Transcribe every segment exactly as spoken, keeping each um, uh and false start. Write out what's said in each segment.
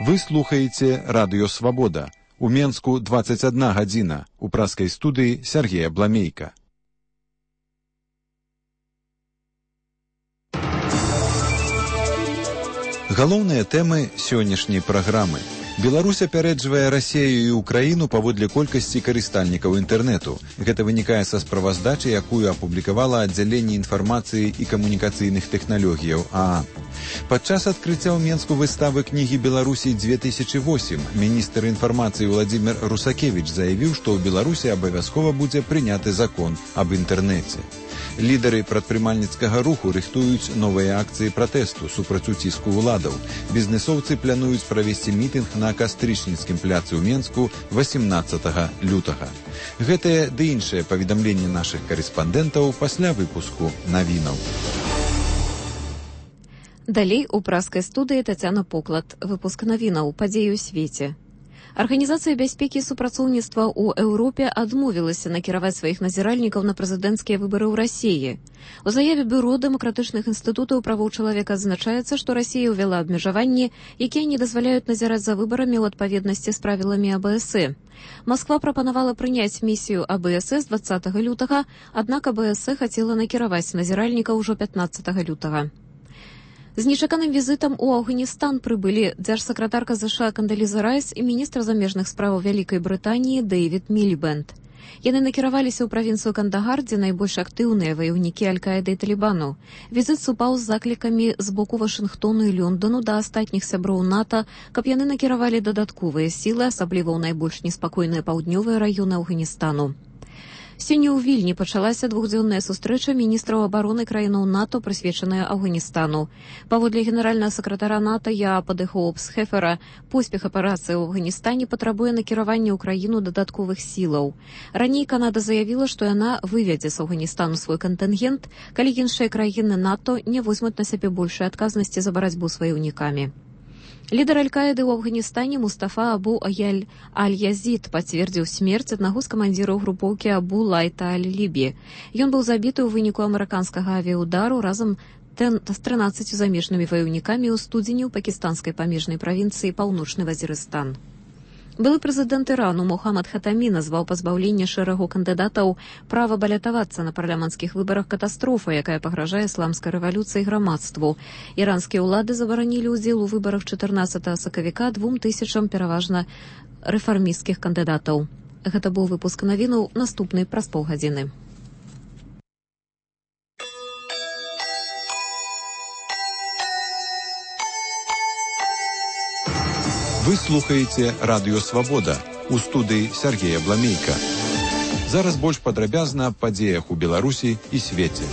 Вы слухаеце Радыё Свабода. У Менску дваццаць адна гадзіна. У праскай студыі Сергея Бламейка. Галоўныя тэмы сённяшняй праграмы. Беларусь апярэджвае Расею і Украіну паводле колькасці карыстальнікаў інтэрнэту. Гэта вынікае са справаздачы, якую апублікавала аддзяленне інфармацыі і камунікацыйных тэхналогіяў ААН. Падчас адкрыцця ў Менску выставы кнігі Беларусі две тысячи восемь міністр інфармацыі Владзімір Русакевіч заявіў, што ў Беларусі абавязкова будзе прыняты закон аб інтэрнэце. Лідары прадпрымальніцкага руху рыхтуюць новыя акцыі пратэсту супраць уціску ўладаў. Бізнесоўцы плануюць правесці мітынг на Кастрычніцкім пляцы ў Менску васемнаццатага лютага. Гэтае ды іншае паведамленне нашых карэспандэнтаў пасля выпуску навінаў. Далей у праскай студыі Тацяна Поклад. Выпуск навінаў падзеі ў свеце. Арганізацыя бяспекі і супрацоўніцтва ў Еўропе адмовілася накіраваць сваіх назіральнікаў на прэзідэнцкія выбары ў Расіі. У заяве Бюро дэмакратычных інстытутаў правоў чалавека адзначаецца, што Расія ўвяла абмежаванні, якія не дазваляюць назіраць за выбарамі ў адпаведнасці з правіламі А Бэ Эс Э. Масква прапанавала прыняць місію А Бэ Эс Э з дваццатага лютага, аднак А Бэ Эс Э хацела накіраваць назіральнікаў ужо пятнаццатага лютага. З нечаканым візітам у Афганістан прыбылі дзяржсакратарка ЗША Кандаліза Райс і міністр замежных справаў Вялікай Брытаніі Дэйвід Мілібэнд. Яны накіраваліся ў правінцыю Кандагар, дзе найбольш актыўныя ваяўнікі Аль-Каіды і Талібану. Візіт супаў з заклікамі з боку Вашынгтону і Лёндану да астатніх сяброў НАТО, каб яны накіравалі дадатковыя сілы, асабліва ў найбольш неспакойныя паўднёвыя раёны Афганістану. Сёння ў Вільні пачалася двухдзённая сустрэча міністраў абароны краінаў НАТО, прысвечаная Афганістану. Паводле генеральнага сакратара НАТО Яапа де Хоопс-Хефера, поспех аперацыі ў Афганістане патрабуе накіравання ў краіну дадатковых сілаў. Раней Канада заявіла, што яна выведзе з Афганістану свой кантынгент, калі іншыя краіны НАТО не возьмуць на сябе большай адказнасці за барацьбу з ваяўнікамі. Лідар Аль-Каіды ў Афганістане Мустафа Абу Аяль Аль-Язід пацвердзіў смерць аднаго з камандзіраў групоўкі Абу Лайта Аль-Лібі. Ён быў забіты ў выніку амерыканскага авіяудару разам з трынаццаццю замежнымі ваяўнікамі ў студзені ў пакістанскай памежнай правінцыі Паўночны Вазірыстан. Былы прэзідэнт Ірану Мухаммад Хатамі назваў пазбаўленне шэрагу кандыдатаў права балятавацца на парламенцкіх выбарах катастрофа, якая пагражае ісламскай рэвалюцыі грамадству. Іранскія ўлады забаранілі ўдзел у выбарах чатырнаццатага сакавіка двум тысячам пераважна рэфармісцкіх кандыдатаў. Гэта быў выпуск навінаў, наступны праз паўгадзіны. Вы слухаеце Радыё Свабода. У студыі Сергея Бламейка. Зараз больш падрабязна аб падзеях у Беларусі і свеце.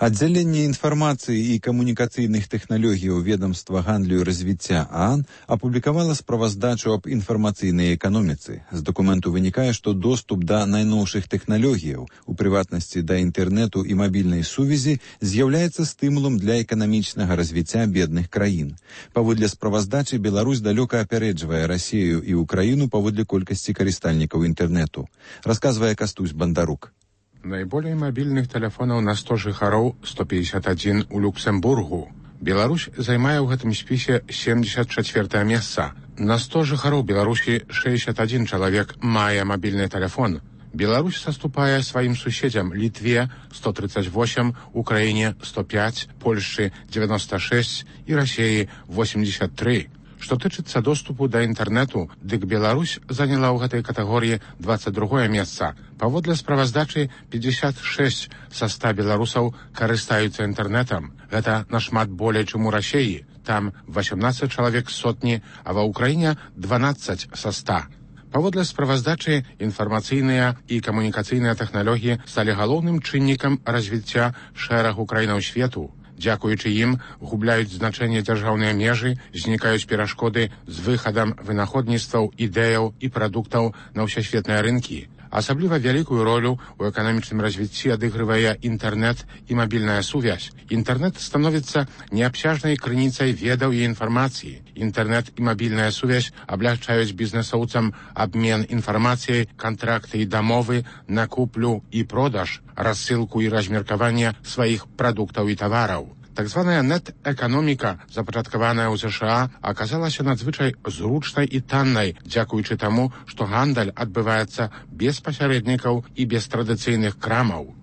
Аддзяленне інфармацыі і камунікацыйных тэхналогіяў ведамства гандлю і развіцця ААН апублікавала справаздачу аб інфармацыйнай эканоміцы. З дакументу вынікае, што доступ да найноўшых тэхналогіяў, у прыватнасці да інтэрнэту і мабільнай сувязі, з'яўляецца стымулам для эканамічнага развіцця бедных краін. Паводле справаздачы, Беларусь далёка апярэджвае Расею і Украіну паводле колькасці карыстальнікаў інтэрнэту. Расказвае Кастусь Бандарук. Найболей мабільных тэлефонаў на сто жыхароў сто пятьдесят один у Люксембургу. Беларусь займае ў гэтым спісе семьдесят чацвёртае месца. На сто жыхароў Беларусі шэсцьдзесят адзін чалавек мае мабільны тэлефон. Беларусь саступае сваім суседзям Літве сто тридцать восемь, Украіне сто пять, Польшчы девяносто шесть і Расіі восемьдесят три. Што тычыцца доступу да інтэрнэту, дык Беларусь заняла ў гэтай катэгорыі двадцать другое месца. Паводле справаздачы пятьдесят шесть са ста беларусаў карыстаюцца інтэрнэтам. Гэта нашмат болей, чым у Расіі. Там восемнадцать чалавек з сотні, а ва Ўкраіне дванаццаць са ста. Паводле справаздачы, інфармацыйныя і камунікацыйныя тэхналогіі сталі галоўным чыннікам развіцця шэрагу краінаў свету. Дзякуючы ім губляюць значэнне дзяржаўныя межы, знікаюць перашкоды з выхадам вынаходніцтваў, ідэяў і прадуктаў на ўсесветныя рынкі. Асабліва вялікую ролю ў эканамічным развіцці адыгрывае інтэрнэт і мабільная сувязь. Інтэрнэт становіцца неабсяжнай крыніцай ведаў і інфармацыі. Інтэрнэт і мабільная сувязь аблягчаюць бізнесоўцам абмен інфармацыяй, кантракты і дамовы на куплю і продаж, рассылку і размеркаванне сваіх прадуктаў і тавараў. Так званая нет-эканоміка, запачаткаваная ў ЗША, аказалася надзвычай зручнай і таннай, дзякуючы таму, што гандаль адбываецца без пасярэднікаў і без традыцыйных крамаў.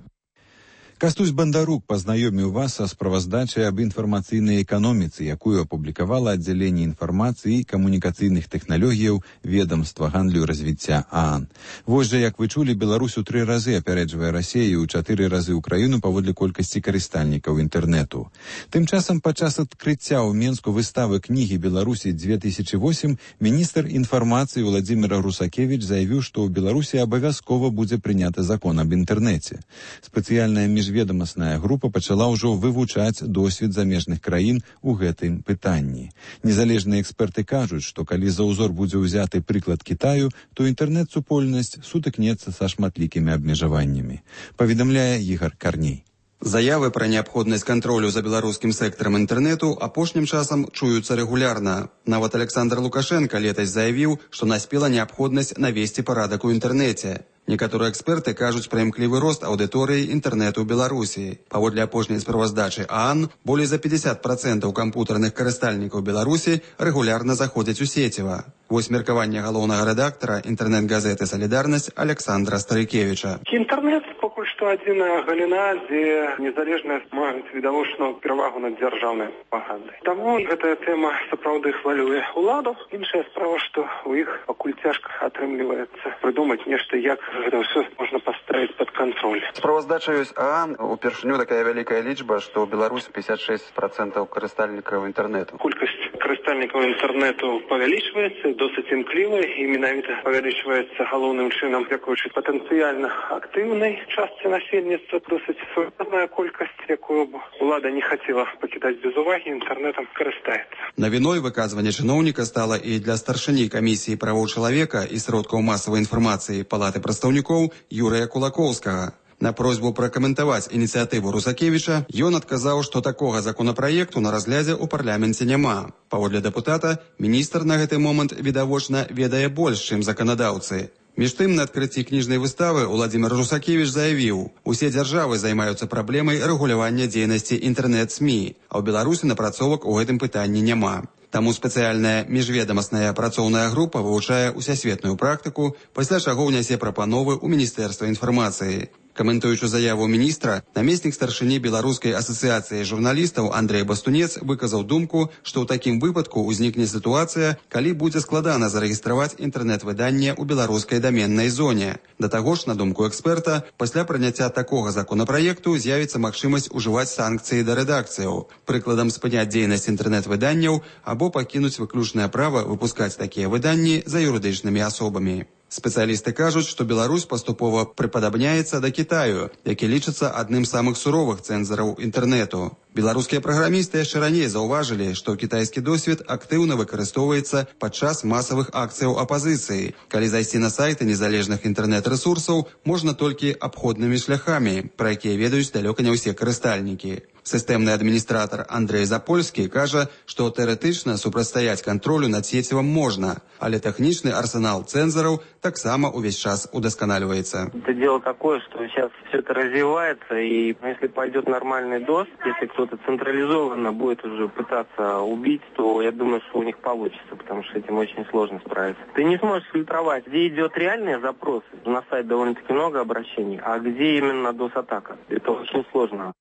Кастусь Бандарук пазнаёміў вас са справаздачай аб інфармацыйнай эканоміцы, якую апублікавала аддзяленне інфармацыі і камунікацыйных тэхналогіяў ведамства гандлю і развіцця ААН. Вось жа, як вы чулі, Беларусь у тры разы апярэджвае Расею, у чатыры разы ўкраіну паводле колькасці карыстальнікаў інтэрнэту. Тым часам падчас адкрыцця ў Менску выставы кнігі Беларусі две тысячи восемь міністр інфармацыі Владзімір Русакевіч заявіў, што ў Беларусі абавязкова будзе прыняты закон аб інтэрнэце. Спецыяльная міжведамасная група пачала ўжо вывучаць досвед замежных краін у гэтым пытанні. Незалежныя эксперты кажуць, што калі за ўзор будзе ўзяты прыклад Кітаю, то інтэрнэт-супольнасць сутыкнецца са шматлікімі абмежаваннямі. Паведамляе Ігор Карней. Заявы пра неабходнасць кантролю за беларускім сектарам інтэрнэту апошнім часам чуюцца рэгулярна. Нават Александр Лукашенко летась заявіў, што наспела неабходнасць навесці парадак у інтэрнэце. Некаторыя эксперты кажуць пра імклівы рост аўдыторыі інтэрнэту ў Беларусі. Паводле апошняй справаздачы ААН, болей за пятьдесят процентаў кампутарных карыстальнікаў Беларусі рэгулярна заходзяць у сеціва. Вось меркаванне галоўнага рэдактара інтэрнэт-газеты «Салідарнасць» Александра Старыкевіча. Інтэрнэт пакуль што адзіная галіна, дзе незалежнасць маюць відавочную перавагу над дзяржаўнай прапагандай. Таму гэтая тэма сапраўды хвалюе ўладу. Іншая справа, што ў іх пакуль цяжка атрымліваецца прыдумаць нешта, як гэта ўсё можна паставіць пад кантроль. Справаздача ёсць ААН, упершыню такая вялікая лічба, што ў Беларусі пятьдесят шесть процентов карыстальнікаў інтэрнэту. Колькасць карыстальнікаў інтэрнэту павялічваецца, досыць імкліва, і менавіта павялічваецца галоўным чынам, дзякуючы патэнцыяльна актыўнай частцы насельніцтва, досыць сур'ёзная колькасць, якую б улада не хацела пакідаць без увагі, інтэрнэтам карыстаецца. Навіной выказванне чыноўніка стала і для старшыні камісіі правоў чалавека і сродкаў масавай інфармацыі Палаты прадстаўнікоў Юрыя Кулакоўскага. На просьбу пракаментаваць ініцыятыву Русакевіча ён адказаў, што такога законапраекту на разглядзе ў парламенце няма. Паводле дэпутата, міністр на гэты момант, відавочна, ведае больш, чым заканадаўцы. Між тым, на адкрыцці кніжнай выставы Владзімір Русакевіч заявіў, усе дзяржавы займаюцца праблемай рэгулявання дзейнасці інтэрнэт-СМІ, а ў Беларусі напрацовак у гэтым пытанні няма. Таму спецыяльная міжведамасная працоўная група вывучае усесветную практыку, пасля чаго ўнясе прапановы ў Міністэрства інфармацыі. Каментуючы заяву міністра, намеснік старшыні Беларускай асацыяцыі журналістаў Андрэй Бастунец выказаў думку, што ў такім выпадку ўзнікне сітуацыя, калі будзе складана зарэгістраваць інтэрнэт-выданне ў беларускай даменнай зоне. Да таго ж, на думку эксперта, пасля прыняцця такога законапраекту з'явіцца магчымасць ужываць санкцыі да рэдакцыяў, прыкладам спыняць дзейнасць інтэрнэт-выданняў або пакінуць выключнае права выпускаць такія выданні за юрыдычнымі асобамі. Спецыялісты кажуць, што Беларусь паступова прыпадабняецца да Кітаю, які лічыцца адным з самых суровых цэнзараў інтэрнэту. Беларускія праграмісты яшчэ раней заўважылі, што кітайскі досвед актыўна выкарыстоўваецца падчас масавых акцыяў апазіцыі, калі зайсці на сайты незалежных інтэрнэт-рэсурсаў можна толькі абходнымі шляхамі, пра якія ведаюць далёка не ўсе карыстальнікі. Сістэмны адміністратар Андрэй Запольскі кажа, што тэарэтычна супрацьстаяць кантролю над сецівам можна, але тэхнічны арсенал цэнзараў таксама увесь час удосконаливается. Это дело такое, что сейчас все это развивается, и если пойдет нормальный ДОС, если кто-то централизованно будет уже пытаться убить, то я думаю, что у них получится, потому что с этим очень сложно справиться. Ты не сможешь фильтровать, где идет реальный запрос, на сайт довольно-таки много обращений, а где именно ДОС-атака. Это очень сложно.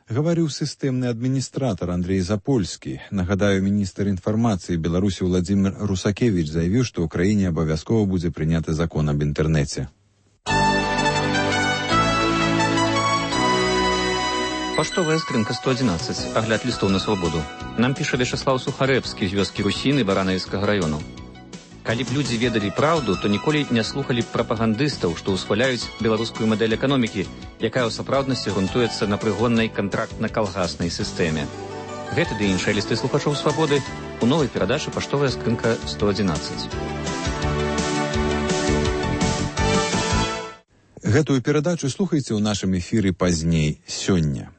Гаварыў сістэмны адміністратар Андрэй Запольскі. Нагадаю, міністр інфармацыі Беларусі Владзімір Русакевіч заявіў, што ў краіне абавязкова будзе прыняты закон аб інтэрнэце. Паштовая скрынка сто адзінаццаць. Агляд лістоў на свабоду. Нам піша Вячеслаў Сухарэбскі з вёскі Русіны Баранавіцкага раёну. Калі б людзі ведалі праўду, то ніколі не слухалі б прапагандыстаў, што ўсхваляюць беларускую мадэль эканомікі, якая ў сапраўднасці грунтуецца на прыгоннай кантрактна-калгаснай сістэме. Гэты ды іншыя лісты слухачоў свабоды у новай перадачы «Паштовая скрынка сто адзінаццаць». Гэтую перадачу слухайце ў нашым эфіры пазней сёння.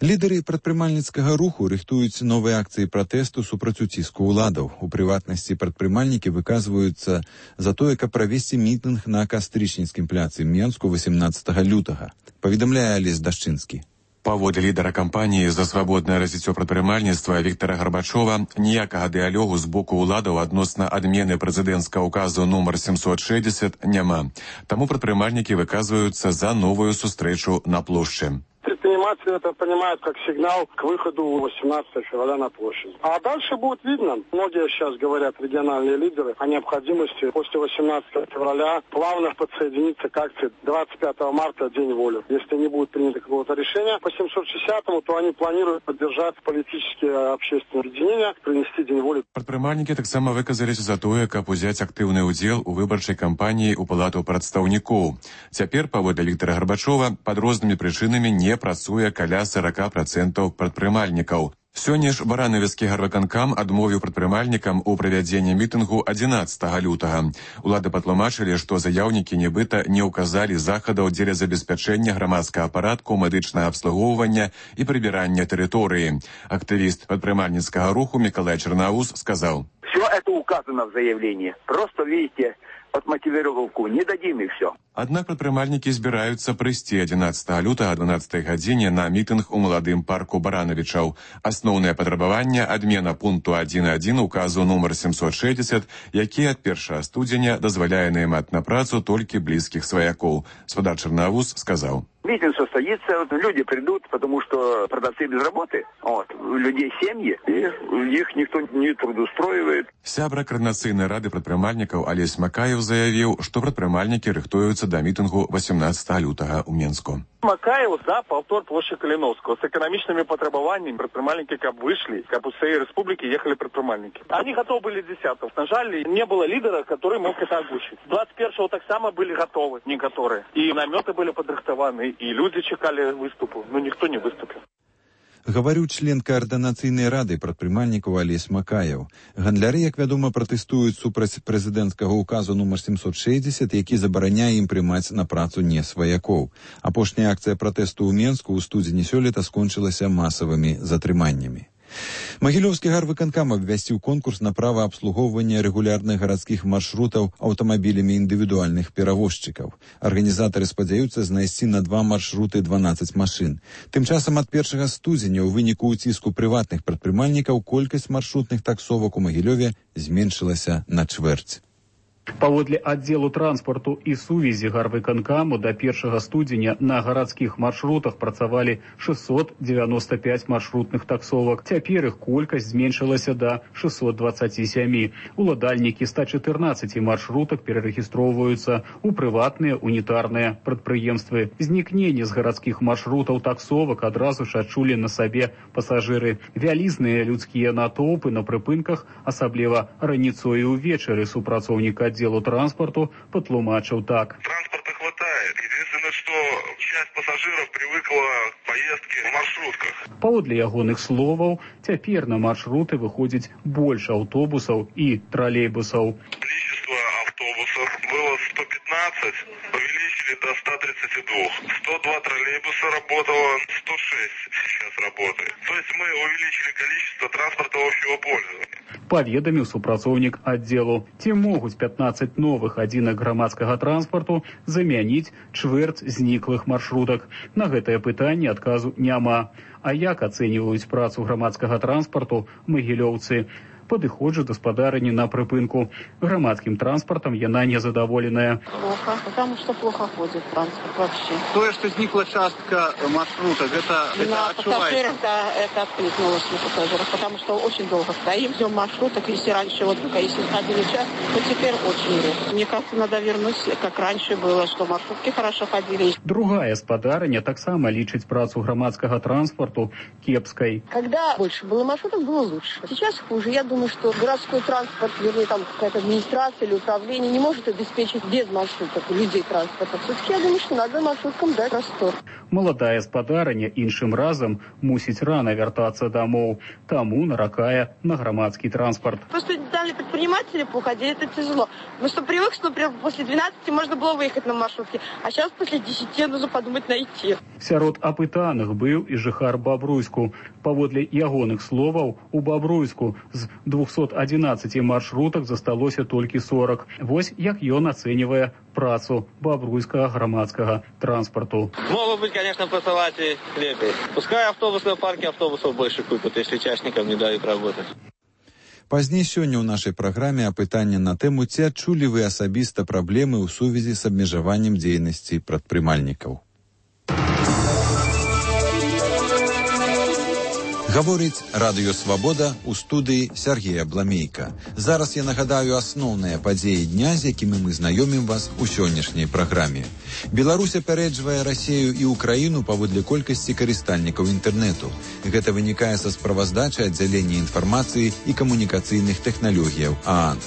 Лідары прадпрымальніцкага руху рыхтуюць новыя акцыі пратэсту супраць уціску ўладаў. У прыватнасці прадпрымальнікі выказваюцца за тое, каб правесці мітынг на Кастрычніцкім пляцы Менску восемнадцатага лютага. Паведамляе Алесь Дашчынскі. Паводле лідара кампаніі за свабоднае развіццё прадпрымальніцтва Віктара Гарбачова, ніякага дыялогу з боку ўладаў адносна адмены прэзідэнцкага указу нумар семьсот шестьдесят няма. Таму прадпрымальнікі выказваюцца за новую сустрэчу на плошчы. Предприниматели это понимают как сигнал к выходу восемнадцатого февраля на площадь. А дальше будет видно. Многие сейчас говорят, региональные лидеры, о необходимости после восемнадцатого февраля плавно подсоединиться к акции двадцать пятого марта, День воли. Если не будет принято какого-то решения по семьсот шестидесятому, то они планируют поддержать политические общественные объединения, принести День воли. Прадпрымальнікі таксама выказаліся за тое, каб узяць актыўны ўдзел у выбарчай кампаніі ў палату прадстаўнікоў. Цяпер, паводле Віктара Гарбачова, пад рознымі прычынамі не працуе каля сорок процентов прадпрымальнікаў. Сёння ж баранавіцкі гарвыканкам адмовіў прадпрымальнікам у правядзенні мітынгу адзінаццатага лютага. Улады патлумачылі, што заяўнікі нібыта не ўказалі захадаў дзеля забеспячэння грамадскага парадку, медычнага абслугоўвання і прыбірання тэрыторыі. Актывіст прадпрымальніцкага руху Миколай Черноус сказал: «Все это указано в заявлении. Просто, видите, отмотивировку не дадим и все». Аднак прадпрымальнікі збіраюцца прыйсці адзінаццатага лютага о дванаццатай гадзіне на мітынг у маладым парку Баранавічаў. Асноўнае патрабаванне — адмена пункту один один указу нумар семьсот шестьдесят, які ад першага студзеня дазваляе наймаць на працу толькі блізкіх сваякоў. Спадар Черноус сказал: «Митинг состоится, вот, люди придут, потому что продавцы без работы, вот, у людей семьи, и их никто не трудоустроивает». Сябра Координацыйнай рады прадпрымальнікаў Алесь Макаев заявіў, што прадпрымальнікі рыхтуюцца да мітынгу восемнадцатага лютага ў Менску. Макаев за повтор площади Калиновского с экономичными потребованиями. Предпринимальники как вышли, как у всей республики ехали предпринимальники. Они готовы были десятых. На жаль, не было лидера, который мог это озвучить. двадцать первого так само были готовы, не которые. И наметы были подрыхтованы, и люди чекали выступу, но никто не выступил. Гаварыў член Координацыйнай рады прадпрымальнікаў Алесь Макаев. Гандляры, як вядома, пратэстуюць супраць прэзідэнцкага указу нумар семьсот шестьдесят, які забараняе ім прымаць на працу не сваякоў. Апошняя акцыя пратэсту ў Менску ў студзені сёлета скончылася масавымі затрыманнямі. Магілёўскі гарвыканкам абвясціў конкурс на права абслугоўвання рэгулярных гарадскіх маршрутаў аўтамабілямі індывідуальных перавозчыкаў. Арганізатары спадзяюцца знайсці на два маршруты дванаццаць машын. Тым часам ад першага студзеня ў выніку ўціску прыватных прадпрымальнікаў колькасць маршрутных таксовак у Магілёве зменшылася на чвэрць. Паводле аддзелу транспорту і сувязі гарвыканкаму да першага студзеня на гарадскіх маршрутах працавалі шестьсот девяносто пять маршрутных таксовак. Цяпер іх колькасць зменшылася да шестьсот двадцать семь. Уладальнікі ста чатырнаццаці маршрутак перарэгістроўваюцца ў прыватныя унітарныя прадпрыемствы. Знікненне з гарадскіх маршрутаў таксовак адразу ж адчулі на сабе пасажыры. Вялізныя людскія натоўпы на прыпынках, асабліва раніцой і ўвечары, супрацоўнік отделу транспорту патлумачыў так. Транспорта хватает. Единственное, что часть пассажиров привыкла к поездке в маршрутках. Паводле ягоных словаў, цяпер на маршруты выходзіць больш аўтобусаў і тралейбусаў. Количество автобусов было сто пятнадцать, увеличили до ста тридцати двух. сто два троллейбуса работало, сто шесть сейчас работает. То есть мы увеличили количество транспорта общего пользования. Паведаміў супрацоўнік аддзелу. Ці могуць пятнадцать новых адзінак грамадскага транспарту замяніць чвэрць зніклых маршрутак? На гэтае пытанне адказу няма. А як ацэньваюць працу грамадскага транспарту магілёўцы? Падыходжу да спадарыні на прыпынку. Грамадскім транспартам яна незадаволеная. Плохо, потому что плохо ходит транспорт вообще. То, что сникла частка маршрута, это, это на отчувается? пассажирах, да, это откликнулось на пассажирах, потому что очень долго стоим, ждем маршруток. Если раньше, вот только если ходили час, то теперь очень редко. Мне кажется, надо вернуть, как раньше было, что маршрутки хорошо ходили. Другая спадарыня таксама лічыць працу грамадскага транспарту кепскай. Когда больше было маршрутов, было лучше. Сейчас хуже. Я думаю, что городской транспорт, вернее, там какая-то администрация или управление не может обеспечить без маршруток людей транспорта. Все-таки я думаю, что надо маршруткам дать простор. Маладая спадарыня іншым разам мусіць рана вяртацца дамоў, таму наракае на грамадскі транспорт. Просто дали предприниматели уходили, это тяжело. Мы что привык, что, например, после двенадцати можно было выехать на маршрутке, а сейчас после десяти нужно подумать найти. Сярод апытаных быў і жыхар Бабруйску. Паводле ягоных словаў, у Бабруйску з двухсот одиннаццати маршрутак засталося толькі сорок. Вось як ён ацэньвае працу бабруйскага грамадскага транспорту. Могут быть, конечно, посылать и лепей. Пускай автобусные парки автобусов больше купят, если частникам не дают работать. Пазней сёння ў нашай праграме апытанне на тэму, ці адчулі вы асабіста праблемы ў сувязі з абмежаваннем дзейнасці прадпрымальнікаў. Гаворыць Радыё Свабода ў студыі Сергея Бламейка. Зараз я нагадаю асноўныя падзеі дня, з якімі мы знаёмім вас у сённяшняй праграме. Беларусь апярэджвае Расею і Украіну паводле колькасці карыстальнікаў інтэрнэту. Гэта вынікае са справаздачы аддзялення інфармацыі і камунікацыйных тэхналогіяў ААН.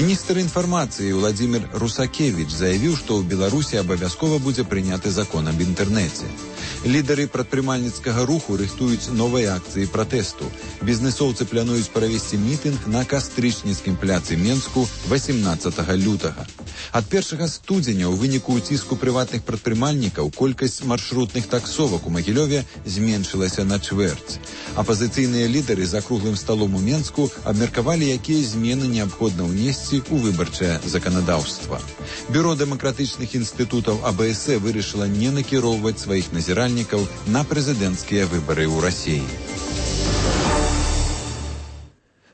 Міністр інфармацыі Владзімір Русакевіч заявіў, што ў Беларусі абавязкова будзе прыняты закон аб інтэрнэце. Лідары прадпрымальніцкага руху рыхтуюць новыя акцыі пратэсту. Бізнесоўцы плануюць правесці мітынг на кастрычніцкім пляцы Менску васемнаццатага лютага. Ад першага студзеня ў выніку ўціску прыватных прадпрымальнікаў колькасць маршрутных таксовак у Магілёве зменшылася на чвэрць. Апазіцыйныя лідары за круглым сталом у Менску абмеркавалі, якія змены неабходна ўнесці ў выбарчае заканадаўства. Бюро дэмакратычных інстытутаў АБС вырашыла не накіроўваць сваіх назіральнікаў на прэзідэнцкія выбары ў Расіі.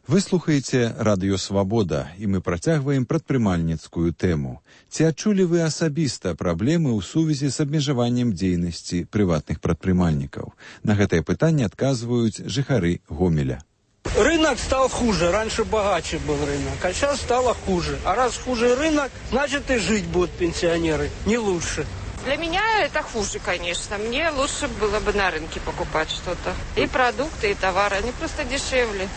Вы слухаеце Радыё Свабода, і мы працягваем прадпрымальніцкую тэму. Ці адчулі вы асабіста праблемы ў сувязі з абмежаваннем дзейнасці прыватных прадпрымальнікаў? На гэтае пытанне адказваюць жыхары Гомеля. Рынок стал хуже. Раньше богаче был рынок, а сейчас стало хуже. А раз хуже рынок, значит и жить будут пенсионеры не лучше. Для меня это хуже, конечно. Мне лучше было бы на рынке покупать что-то. И продукты, и товары. Они просто дешевле.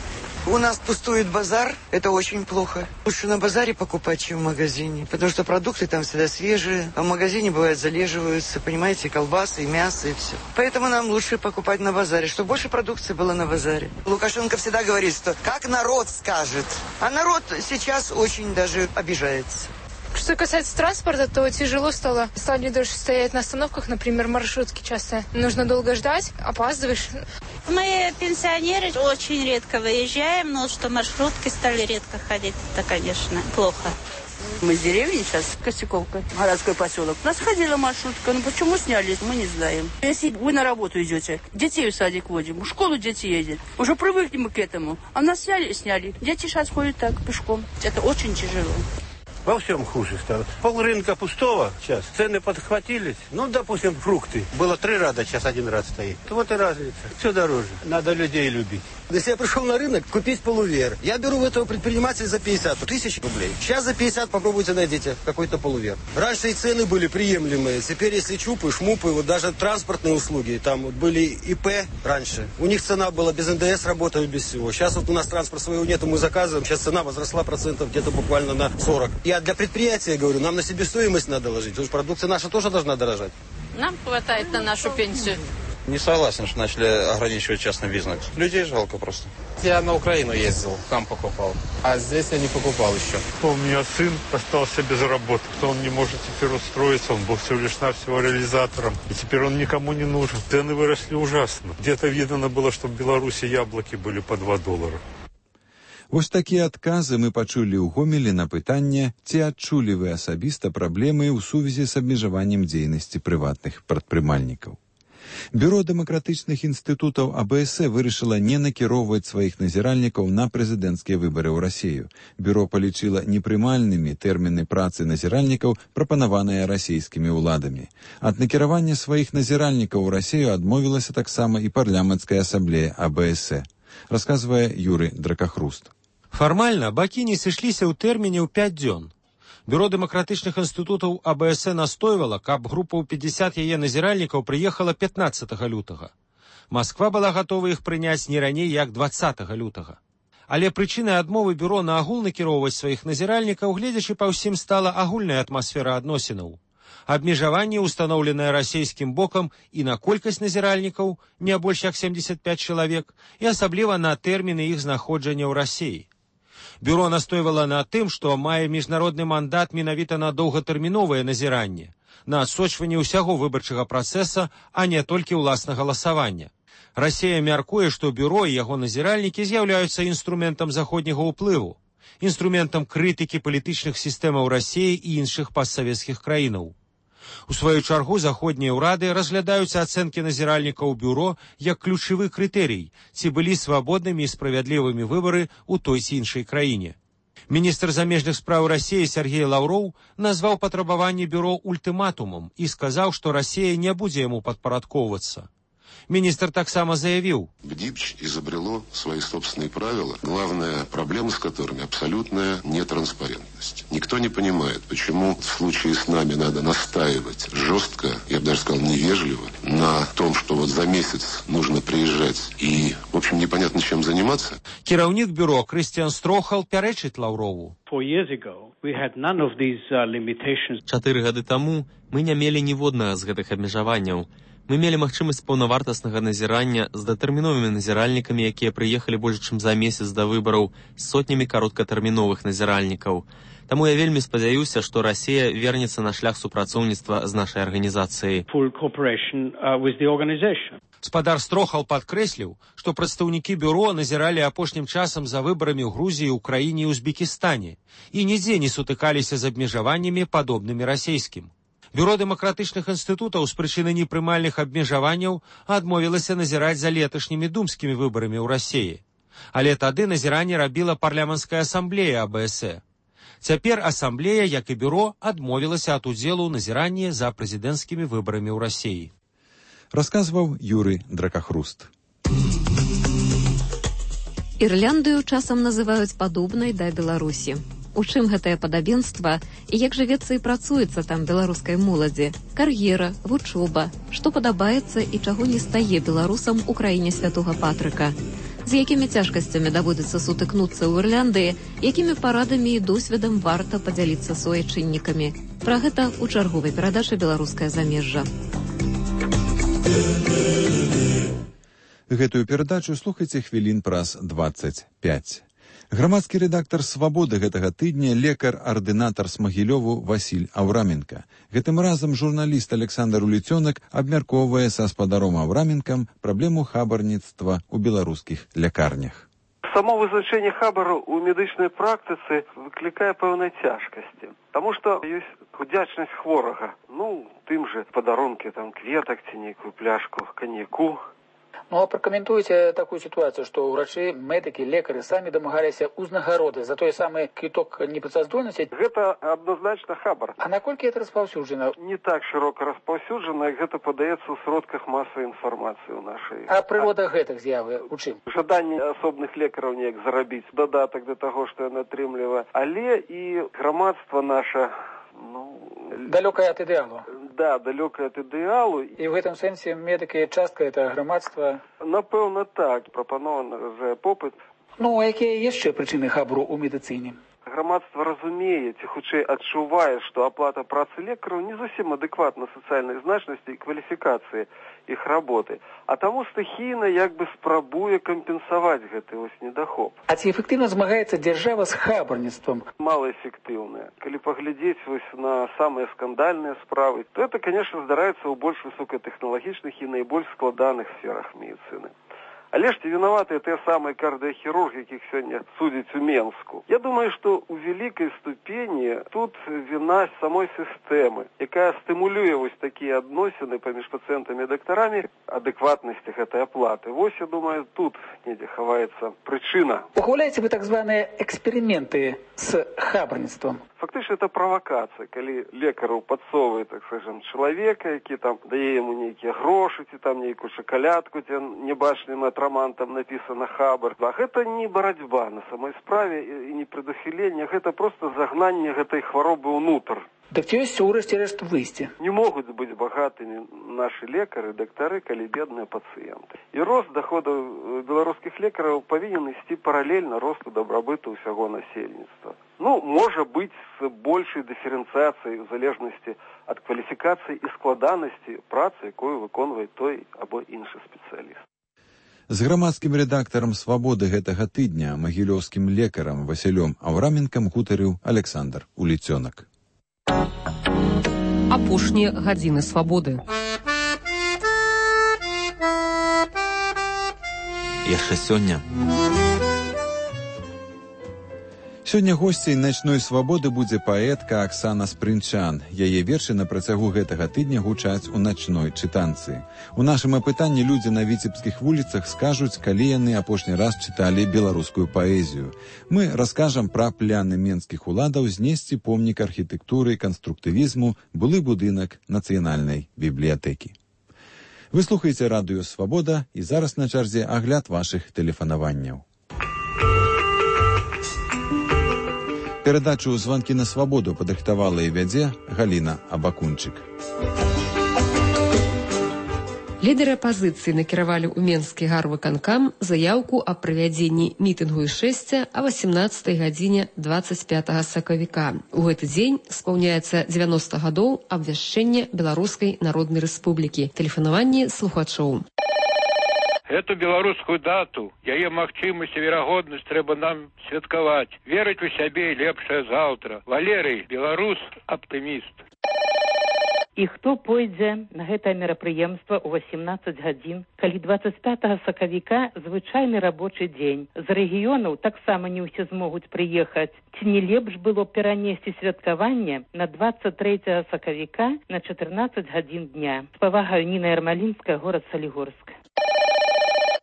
У нас пустует базар, это очень плохо. Лучше на базаре покупать, чем в магазине, потому что продукты там всегда свежие, а в магазине бывает залеживаются, понимаете, колбасы, и мясо, и все. Поэтому нам лучше покупать на базаре, чтобы больше продукции было на базаре. Лукашенко всегда говорит, что как народ скажет, а народ сейчас очень даже обижается. Что касается транспорта, то тяжело стало. Стали дольше стоять на остановках, например, маршрутки часто. Нужно долго ждать, опаздываешь. Мы, пенсионеры, очень редко выезжаем, но что маршрутки стали редко ходить, это, конечно, плохо. Мы с деревни сейчас, Косяковка, городской поселок. У нас ходила маршрутка, но почему сняли, мы не знаем. Если вы на работу идете, детей в садик водим, в школу дети едет, уже привыкли мы к этому. А нас сняли, сняли. Дети сейчас ходят так, пешком. Это очень тяжело. Во всем хуже стало. Пол рынка пустого сейчас. Цены подхватились. Ну, допустим, фрукты. Было три ряда, сейчас один ряд стоит. Вот и разница. Все дороже. Надо людей любить. Если я пришел на рынок купить полувер, я беру у этого предпринимателя за пятьдесят тысяч рублей. Сейчас за пятьдесят попробуйте найдите какой-то полувер. Раньше и цены были приемлемые. Теперь, если чупы, шмупы, вот даже транспортные услуги, там вот были ИП раньше. У них цена была без эн дэ эс, работали без всего. Сейчас вот у нас транспорта своего нету, мы заказываем. Сейчас цена возросла процентов где-то буквально на сорок. Я для предприятия говорю, нам на себестоимость надо ложить. Потому что продукция наша тоже должна дорожать. Нам хватает на нашу пенсию. Не согласен, что начали ограничивать частный бизнес. Людей жалко просто. Я на Украину ездил, там покупал. А здесь я не покупал еще. У меня сын остался без работы. Он не может теперь устроиться. Он был всего лишь навсего реализатором. И теперь он никому не нужен. Цены выросли ужасно. Где-то видно было, что в Беларуси яблоки были по два доллара. Вось такія адказы мы пачулі ў Гомелі на пытанне, ці адчулі вы асабіста праблемы ў сувязі з абмежаваннем дзейнасці прыватных прадпрымальнікаў. Бюро дэмакратычных інстытутаў АБС вырашыла не накіроўваць сваіх назіральнікаў на прэзідэнцкія выбары ў Расію. Бюро палічыла непрымальнымі тэрміны працы назіральнікаў, прапанаваныя расійскімі ўладамі. Ад накіравання сваіх назіральнікаў у Расію адмовілася таксама і парламенцкая асамблея АБС. Расказвае Юрый Дракахруст. Фармальна бакі не сышліся ў тэрміне ў пяць дзён. Бюро дэмакратычных інстытутаў АБС настойвала, каб група ў пятьдесят яе назіральнікаў прыехала пятнаццатага лютага. Масква была гатова іх прыняць не раней, як дваццатага лютага. Але прычынай адмовы бюро на агул накіроўваць сваіх назіральнікаў, гледзячы па ўсім, стала агульная атмасфера адносінаў. Абмежаванне, устаноўленае расійскім бокам і на колькасць назіральнікаў, не больш як семьдесят пять чалавек, і асабліва на тэрміны іх знаходжання ў Расіі. Бюро настойвала на тым, што мае міжнародны мандат менавіта на доўгатэрміновае назіранне, на адсочванне ўсяго выбарчага працэса, а не толькі ўласна галасавання. Расія мяркуе, што бюро і яго назіральнікі з'яўляюцца інструментам заходняга ўплыву, інструментам крытыкі палітычных сістэмаў Расіі і іншых постсавецкіх краінаў. У сваю чаргу заходнія ўрады разглядаюць ацэнкі назіральнікаў бюро як ключавы крытэрый, ці былі свабоднымі і справядлівымі выбары ў той ці іншай краіне. Міністр замежных спраў Расіі Сергей Лаўроў назваў патрабаванне бюро ультыматумам і сказаў, што Расія не будзе яму падпарадкоўвацца. Министр таксама заявил: БДИПЧ изобрело свои собственные правила, главная проблема с которыми абсолютная нетранспарентность. Никто не понимает, почему в случае с нами надо настаивать жестко, я бы даже сказал невежливо, на том, что вот за месяц нужно приезжать и, в общем, непонятно чем заниматься. Кіраўнік бюро Крыстиан Строхал пярэчыць Лаўрову. Чатыры гады таму мы не мелі ніводнага з гэтых абмежаванняў. Мы мелі магчымасць паўнавартаснага назірання з датэрміновымі назіральнікамі, якія прыехалі больш чым за месяц да выбараў, з сотнямі кароткатэрміновых назіральнікаў. Таму я вельмі спадзяюся, што Расія вернецца на шлях супрацоўніцтва з нашай арганізацыяй. Спадар Строхал падкрэсліў, што прадстаўнікі бюро назіралі апошнім часам за выбарамі ў Грузіі, Украіне і Узбекістане і нідзе не сутыкаліся з абмежаваннямі, падобнымі расійскім. Бюро дэмакратычных інстытутаў з прычыны непрымальных абмежаванняў адмовілася назіраць за леташнімі думскімі выбарамі ў Расіі. Але тады назіранне рабіла парламенцкая асамблея А Б С Э. Цяпер асамблея, як і бюро, адмовілася ад удзелу ў назіранні за прэзідэнцкімі выбарамі ў Расіі. Расказваў Юрый Дракахруст. Ірляндыю часам называюць падобнай да Беларусі. У чым гэтае падабенства і як жывецца і працуецца там беларускай моладзі, кар'ера, вучоба, што падабаецца і чаго не стае беларусам у краіне святога Патрыка, з якімі цяжкасцямі даводзіцца сутыкнуцца ў Ірляндыі, якімі парадамі і досведам варта падзяліцца суайчыннікамі. Пра гэта ў чарговай перадачы «Беларускае замежжа». Гэтую перадачу слухайце хвілін праз дваццаць пяць. Грамадскі рэдактар «Свабоды» гэтага тыдня лекар-ардынатар з Магілёву Васіль Аўраменка. Гэтым разам журналіст Александр Уліцёнак абмяркоўвае са спадаром Аўраменкам праблему хабарніцтва ў беларускіх лякарнях. Само вызначэнне хабару ў медычнай практыцы выклікае пэўнай цяжкасці, таму што ёсць удзячнасць хворага. Ну, тым же падарункі там кветак ці нейкую пляшку каньяку. Ну, а прокомментуйте такую ситуацию, что врачи, медики, лекари сами домагалися узнагароды за той самый квиток непрацаздольности. Это однозначно хабар. А наколькі это распаўсюджана? Не так широко распаўсюджана, як гэта падаецца ў сродках масавай інфармацыі ў нашай. А прырода гэтых з'явы у чым? Жаданне асобных лекараў неяк зарабіць дадатак да таго, што яна атрымлівае, але і грамадства наша, ну, далёкае ад ідэалу. Да, далёкае ад ідэалу. І ў гэтым сэнсе медыкі частка это грамадства. Напэўна так, прапанованы за попыт. Ну, а якія яшчэ прычыны хабару ў медыцыне? Грамадства разумее, ці хутчэй адчувае, што аплата працы лекараў не зусім адэкватна сацыяльнай значнасці і кваліфікацыі іх работы, а таму стыхійна як бы спрабуе кампенсаваць гэты вось недахоп. А ці эфектыўна змагаецца дзяржава з хабарніцтвам? Малаэфектыўна. Калі паглядзець вось на самыя скандальныя справы, то это, конечно, здараецца ў больш высокатэхналагічных і найбольш складаных сферах медыцыны. Але ж ці вінаватыя тыя самыя кардыахірургі, якіх сёння судзяць у Менску. Я думаю, што ў вялікай ступені тут віна самой сістэмы, якая стымулюе вось такія адносіны паміж пацыентамі і дактарамі, адэкватнасці гэтай аплаты. Вось, я думаю, тут недзе хаваецца прычына. Ухваляеце вы так званыя эксперыменты з хабарніцтвам? Фактычна, это правакацыя, калі лекару падсоввае, так скажем, чалавека, які там дае яму нейкія грошы, ці там нейкую шакалядку, ці небачным атрамантам напісана хабар. А гэта не барацьба на самой справе і не прадухіленне, гэта проста загнанне гэтай хваробы ўнутр. Так ці ёсць ўрэшце рэшт выйсце? Не могуць быць багатымі нашы лекары, дактары, калі бедныя пацыенты. І рост даходаў беларускіх лекараў павінен ісці паралельна росту дабрабыту ўсяго насельніцтва. Ну, можа быць з большай дыферэнцыяцыяй у залежнасці ад кваліфікацыі і складанасці працы, якую выконвае той або іншы спецыяліст. З грамадскім рэдактарам «Свабоды» гэтага тыдня, магілёўскім лекарам Васілём Аўраменкам гутарыў Александр Уліцёнак. Апошнія гадзіны свабоды. яшчэ сёння. Сёння госцей начной свабоды будзе паэтка Аксана Спрынчан. Яе вершы на працягу гэтага тыдня гучаць у начной чытанцы. У нашым апытанні людзі на віцебскіх вуліцах скажуць, калі яны апошні раз чыталі беларускую паэзію. Мы раскажам пра пляны менскіх уладаў знесці помнік архітэктуры і канструктывізму, былы будынак нацыянальнай бібліятэкі. Вы слухаеце радыё «Свабода» і зараз на чарзе агляд вашых тэлефанаванняў. Перадачу «Званкі на свабоду» падрыхтавала і вядзе Галіна Абакунчык. Лідары апазіцыі накіравалі ў Менскі гарвыканкам заяўку аб правядзенні мітынгу і шэсця а васемнаццатай гадзіне дваццаць пятага сакавіка. У гэты дзень спаўняецца дзевяноста гадоў абвяшчэння Беларускай Народнай Рэспублікі. Тэлефанаванне слухачоў. Эту беларускую дату, яе магчымасць і верагоднасць трэба нам святкаваць. Верыць у сябе і лепшае заўтра. Валерый, беларус, аптыміст. І хто пойдзе на гэтае мерапрыемства ў васемнаццаць гадзін, калі дваццаць пятага сакавіка звычайны рабочы дзень. З рэгіёнаў таксама не ўсе змогуць прыехаць. Ці не лепш было перанесці святкаванне на дваццаць трэцяга сакавіка на чатырнаццаць гадзін дня. З павагаю, Ніна Ярмалінская, горад Салігорск.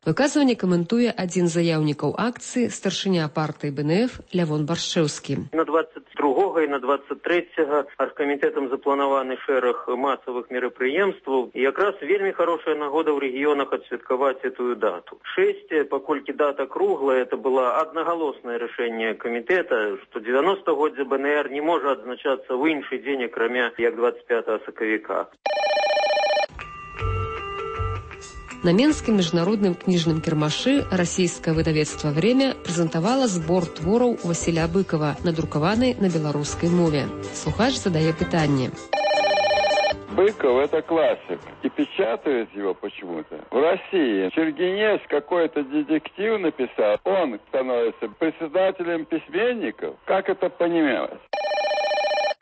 Выказванне каментуе адзін з заяўнікаў акцыі, старшыня партыі Бэ Эн Эф Лявон Баршэўскі. На двадцать другога і на двадцать трэцяга аргкамітэтам запланаваны шэраг масавых мерапрыемстваў. І якраз вельмі хорошая нагода ў рэгіёнах адсвяткаваць эту дату. Шэсце, паколькі дата круглая, это было аднагалоснае рашэнне камітэта, што дзевяностагоддзе Бэ Эн Эр не можа адзначацца ў іншы дзень, акрамя як двадцать пятага сакавіка. На Менскім міжнародным кніжным кірмашы расійскае выдавецтва «Время» прэзентавала збор твораў Васіля Быкова, надрукаваны на беларускай мове. Слухач задае пытанне. Быков – это классик. И печатают его почему-то. В России Чергенец какой-то детектив написал. Он становится председателем письменников. Как это понимать?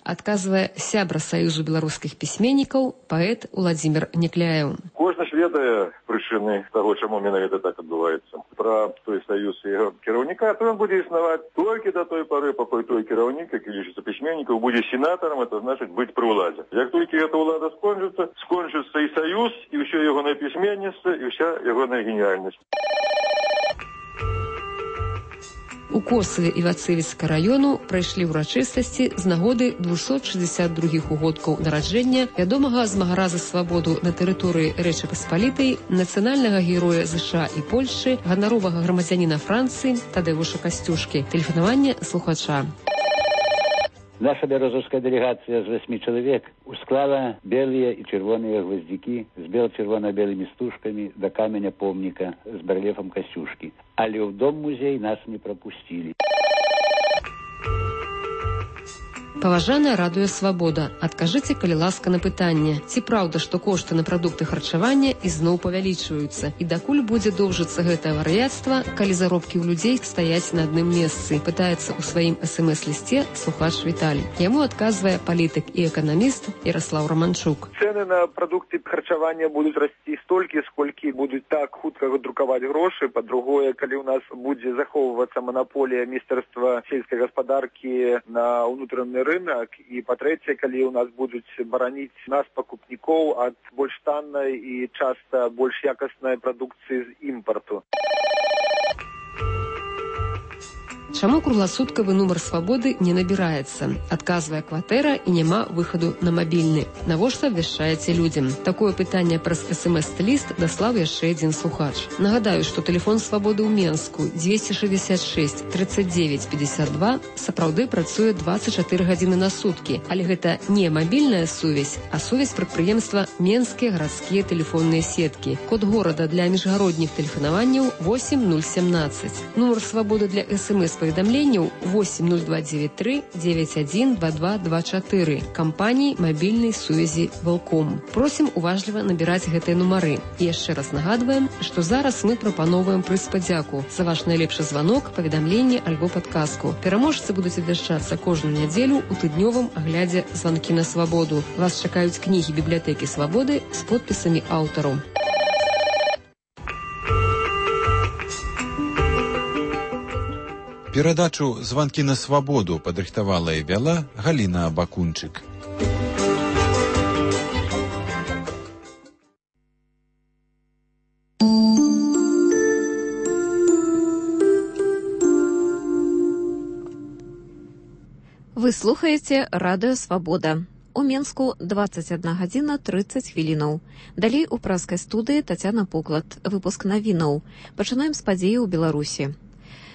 Адказвае сябра Саюзу беларускіх пісьменнікаў паэт Уладзімір Някляеў. Кожны ж ведае прычыны таго, чаму менавіта так адбываецца. Пра той саюз і яго кіраўніка, то ён будзе існаваць толькі да той пары, пакуль той кіраўнік, які лічыцца пісьменнікам, будзе сенатарам, это значыць быць пры ўладзе. Як толькі эта ўлада скончыцца, скончыцца і саюз, і ўсё ягонае пісьменніцтва, і ўся ягоная геніяльнасць. У Косаве і Вацывіцка раёну прайшлі ўрачыстасці з нагоды двухсот шестьдесят других угодкаў нараджэння вядомага змагара за свабоду на тэрыторыі Рэчы Паспалітай, нацыянальнага героя ЗША і Польшчы, ганаровага грамадзяніна Францыі Тадеуша Касцюшкі. Тэлефанаванне слухача. Наша беларуская делегация з восьми человек усклала белые и червоные гвоздики с бел-червоно-белыми стужками до каменя помника с барельефом Касюшки. Але в дом-музей нас не пропустили. Паважаная радыё «Свабода», адкажыце, калі ласка, на пытанне, ці праўда, што кошты на прадукты харчавання ізноў павялічваюцца, і дакуль будзе доўжыцца гэтае вар'яцтва, калі заробкі ў людзей стаяць на адным месцы, пытаецца ў сваім эс эм эс-лісце слухач Віталій. Яму адказвае палітык і эканаміст Яраслаў Раманчук. Цэны на прадукты харчавання будуць расці столькі, сколькі будуць так хутка друкаваць грошы. Па-другое, калі ў нас будзе захоўвацца манаполія міністэрства сельскай гаспадаркі на ўнутраны рынок, і па-трэцяе, калі ў нас будуць бараніць нас пакупнікоў ад больш таннай і часта больш якаснай прадукцыі з імпарту. Чаму кругласуткавы нумар «Свабоды» не набіраецца? Адказвае кватэра і няма выхаду на мабільны. Навошта абвяшчаеце людзям? Такое пытанне праз эс эм эс-ліст даслаў яшчэ адзін слухач. Нагадаю, што тэлефон «Свабоды» ў Менску двести шестьдесят шесть тридцать девять пятьдесят два сапраўды працуе двадцать чатыры гадзіны на суткі. Але гэта не мабільная сувязь, а сувязь прадпрыемства «Менскія гарадскія тэлефонныя сеткі». Код горада для міжгародніх тэлефанаванняў восемь ноль семнадцать. Нумар «Свабоды» для эс эм эс паведамленняў восемь ноль два девять три девять один два два два четыре кампаніі мабільнай сувязі «Волком». Просім уважліва набіраць гэтыя нумары. І яшчэ раз нагадваем, што зараз мы прапановваем прыз падзяку за ваш найлепшы званок, паведамленне альбо падказку. Пераможцы будуць абвяшчацца кожную нядзелю ў тыднёвым аглядзе «Званкі на свабоду». Вас чакаюць кнігі бібліятэкі «Свабоды» з подпісамі аўтараў. Перадачу «Званкі на свабоду» падрыхтавала і вяла Галіна Бакунчык. Вы слухаеце радыё «Свабода». У Менску двадцать одна гадзіна трыццаць хвілінаў. Далей у праскай студыі Тацяна Поклад. Выпуск навінаў. Пачынаем з падзеі ў Беларусі.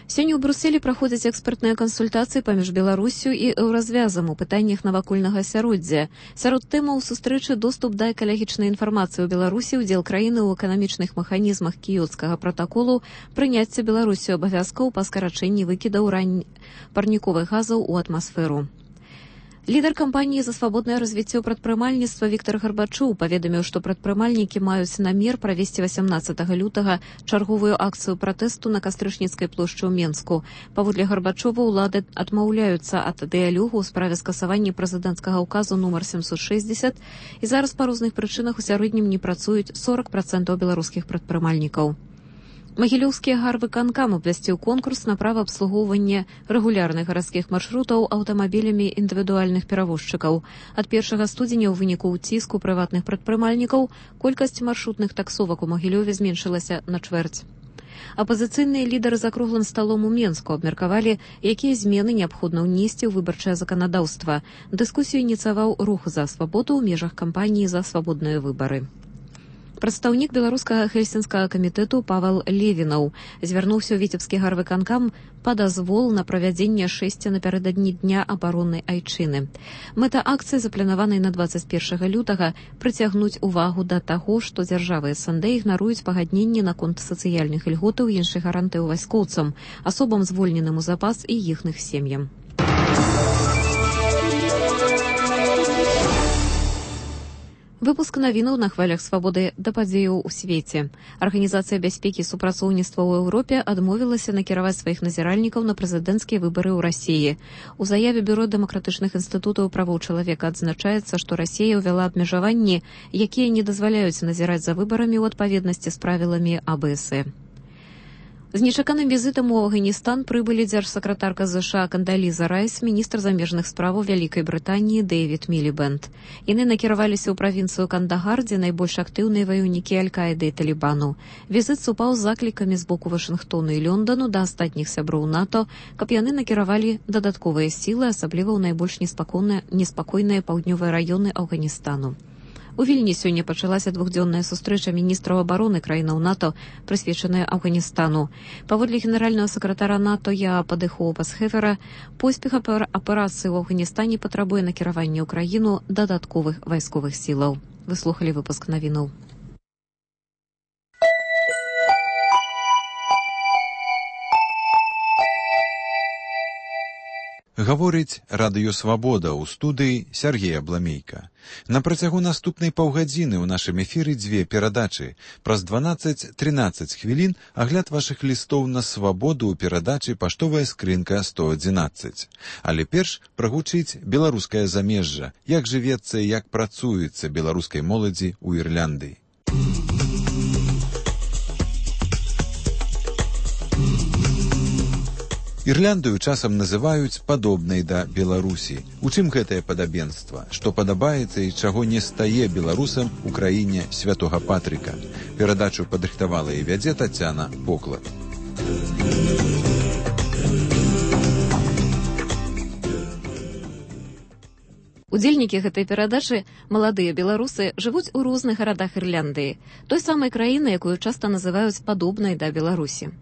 Сёння ў Брюсселі праходзяць экспертныя кансультацыі паміж Беларуссю і Еўразвязам у пытаннях навакольнага асяроддзя. Сярод тэмаў сустрэчы доступ да экалагічнай інфармацыі ў Беларусі, удзел краіны ў эканамічных механізмах кіёцкага пратаколу, прыняцце Беларусю абавязкаў па скарачэнні выкідаў рань парніковых газаў у атмасферу. Лідар кампаніі за свабоднае развіццё прадпрымальніцтва Віктор Гарбачоў паведаміў, што прадпрымальнікі маюць намер правесці васямнаццатага лютага чарговую акцыю пратэсту на Кастрычніцкай плошчы ў Менску. Паводле Гарбачова, улады адмаўляюцца ад дыялогу ў справе скасавання прэзідэнцкага ўказу нумар сямсот шэсцьдзесят, і зараз па розных прычынах у сярэднім не працуюць сорок працэнтаў беларускіх прадпрымальнікаў. Магілёўскі гарвыканкам абвясціў конкурс на права абслугоўвання рэгулярных гарадскіх маршрутаў аўтамабілямі індывідуальных перавозчыкаў. Ад першага студзеня ў выніку ўціску прыватных прадпрымальнікаў колькасць маршрутных таксовак у Магілёве зменшылася на чвэрць. Апазіцыйныя лідары за круглым сталом у Менску абмеркавалі, якія змены неабходна ўнесці ў выбарчае заканадаўства. Дыскусію ініцыяваў рух за свабоду ў межах кампаніі за свабодныя выбары. Прадстаўнік беларускага хельсінскага камітэту Павел Левінаў звярнуўся ў віцебскі гарвыканкам па дазвол на правядзенне шэсця напярэдадні дня абароннай айчыны. Мэта акцыі, запланаванай на двадцать первого лютага, прыцягнуць увагу да таго, што дзяржавы СНД ігнаруюць пагадненні наконт сацыяльных ільготаў і іншых гарантыяў вайскоўцам, асобам звольненым у запас і іхных сем'ям. Выпуск навінаў на хвалях свабоды да падзеяў у свеце. Арганізацыя бяспекі і супрацоўніцтва ў Еўропе адмовілася накіраваць сваіх назіральнікаў на прэзідэнцкія выбары ў Расіі. У заяве Бюро дэмакратычных інстытутаў правоў чалавека адзначаецца, што Расія ўвяла абмежаванні, якія не дазваляюць назіраць за выбарамі ў адпаведнасці з правіламі А Б С. З нечаканым візітам у Афганістан прыбылі дзяржсакратарка ЗША Кандаліза Райс, міністр замежных справаў Вялікай Брытаніі Дэвід Мілібэнд. Яны накіраваліся ў правінцыю Кандагар, дзе найбольш актыўныя ваяўнікі Аль-Каіды і Талібану. Візіт супаў з заклікамі з боку Вашынгтону і Лёндану да астатніх сяброў НАТО, каб яны накіравалі дадатковыя сілы, асабліва ў найбольш неспакойныя паўднёвыя раёны Афганістану. У Вільні сёння пачалася двухдзённая сустрэча міністраў абароны краінаў НАТО, прысвечаная Афганістану. Паводле генеральнага сакратара НАТО Яапа Дехоупас-Хефера, поспех аперацыі ў Афганістане патрабуе накіравання ў краіну дадатковых вайсковых сілаў. Вы слухалі выпуск навінаў. Гаворыць радыё «Свабода» ў студыі Сергея Бламейка. На працягу наступнай паўгадзіны ў нашым эфіры дзве перадачы. Праз дванаццаць-трынаццаць хвілін агляд вашых лістоў на свабоду ў перадачы «Паштовая скрынка сто адзінаццаць». Але перш прагучыць беларускае замежжа, як жывецца і як працуецца беларускай моладзі ў Ірландыі. Ірландыю часам называюць падобнай да Беларусі. У чым гэтае падабенства? Што падабаецца і чаго не стае беларусам у краіне святога Патрыка? Перадачу падрыхтавала і вядзе Тацяна Поклад. Удзельнікі гэтай перадачы, маладыя беларусы, жывуць у розных гарадах Ірландыі, той самай краіны, якую часта называюць падобнай да Беларусі.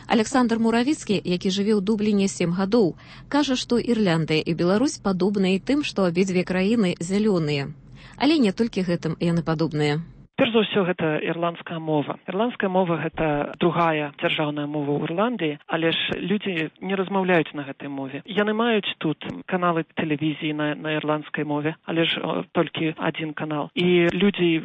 Александр Муравіцкі, які жыве ў Дубліне сем гадоў, кажа, што Ірландыя і Беларусь падобныя тым, што абедзве краіны зялёныя. Але не толькі гэтым яны падобныя. Перш за ўсё, гэта ірландская мова. Ірландская мова – гэта другая дзяржаўная мова ў Ірландыі, але ж людзі не размаўляюць на гэтай мове. Яны маюць тут каналы тэлевізіі на, на ірландскай мове, але ж о, толькі адзін канал. І людзі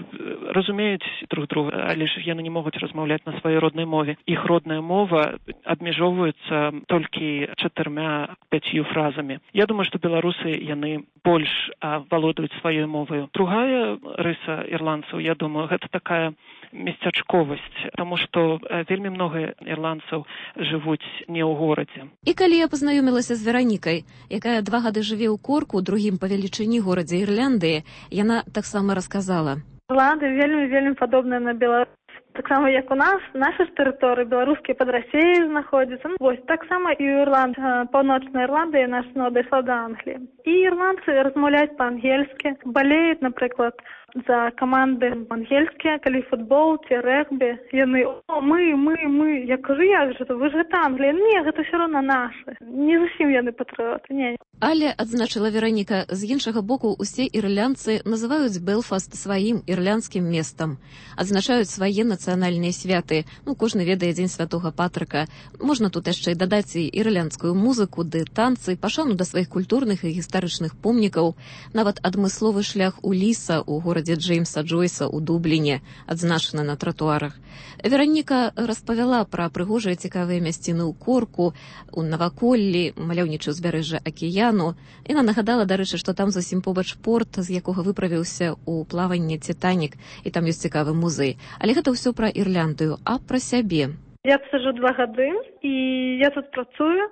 разумеюць друг друга, але ж яны не могуць размаўляць на сваёй роднай мове. Іх родная мова абмежоўваецца толькі чатырма-пяцью фразамі. Я думаю, што беларусы, яны больш а, валодаюць сваёй моваю. Другая рыса ірландцаў, я думаю, гэта такая местачковасць, таму што вельмі многа ірландцаў жывуць не ў горадзе. І калі я пазнаёмілася з Веранікай, якая два гады жыве ў Корку, другім па велічыні горадзе Ірландыі, яна таксама расказала. Ірландыя вельмі-вельмі падобная на Беларусь. Таксама, як у нас, наша ж тэрыторыя, беларускія пад Расіяй знаходзяцца. Ну, вось, таксама і ў Ірланд, паўночная Ірландыя наша ну, дайшла да Англіі. І ірландцы размаўляюць па-ангельскі, балеюць, напрыклад, за каманды ангельскія, калі футбол ці рэгбі. Яны, о, мы, мы, мы. Я кажу, як же, вы ж гэта Англія. Не, гэта ўсё роўна наша. Не зусім яны патрыоты, не. Але, адзначыла Вераніка, з іншага боку усе ірландцы называюць Белфаст сваім ірландскім месцам. Адзначаюць свае нацыянальныя святы. Ну, кожны ведае дзень святога Патрыка. Можна тут яшчэ дадаць і ірландскую музыку, ды танцы, пашану да сваіх культурных і гістарычных помнікаў. Нават адмысловы шлях у Ліса у горадзе Джеймса Джойса ў Дубліне адзначаны на тратуарах. Вераніка распавяла пра прыгожыя цікавыя мясціны ў Корку, у наваколлі, маляўнічае ўзбярэжжа акіяну. Яна нагадала, дарэчы, што там зусім побач порт, з якога выправіўся ў плаванне Титанік, і там ёсць цікавы музей. Але гэта ўсё пра Ірландыю, а пра сябе. Я сижу два гады, і я тут працую.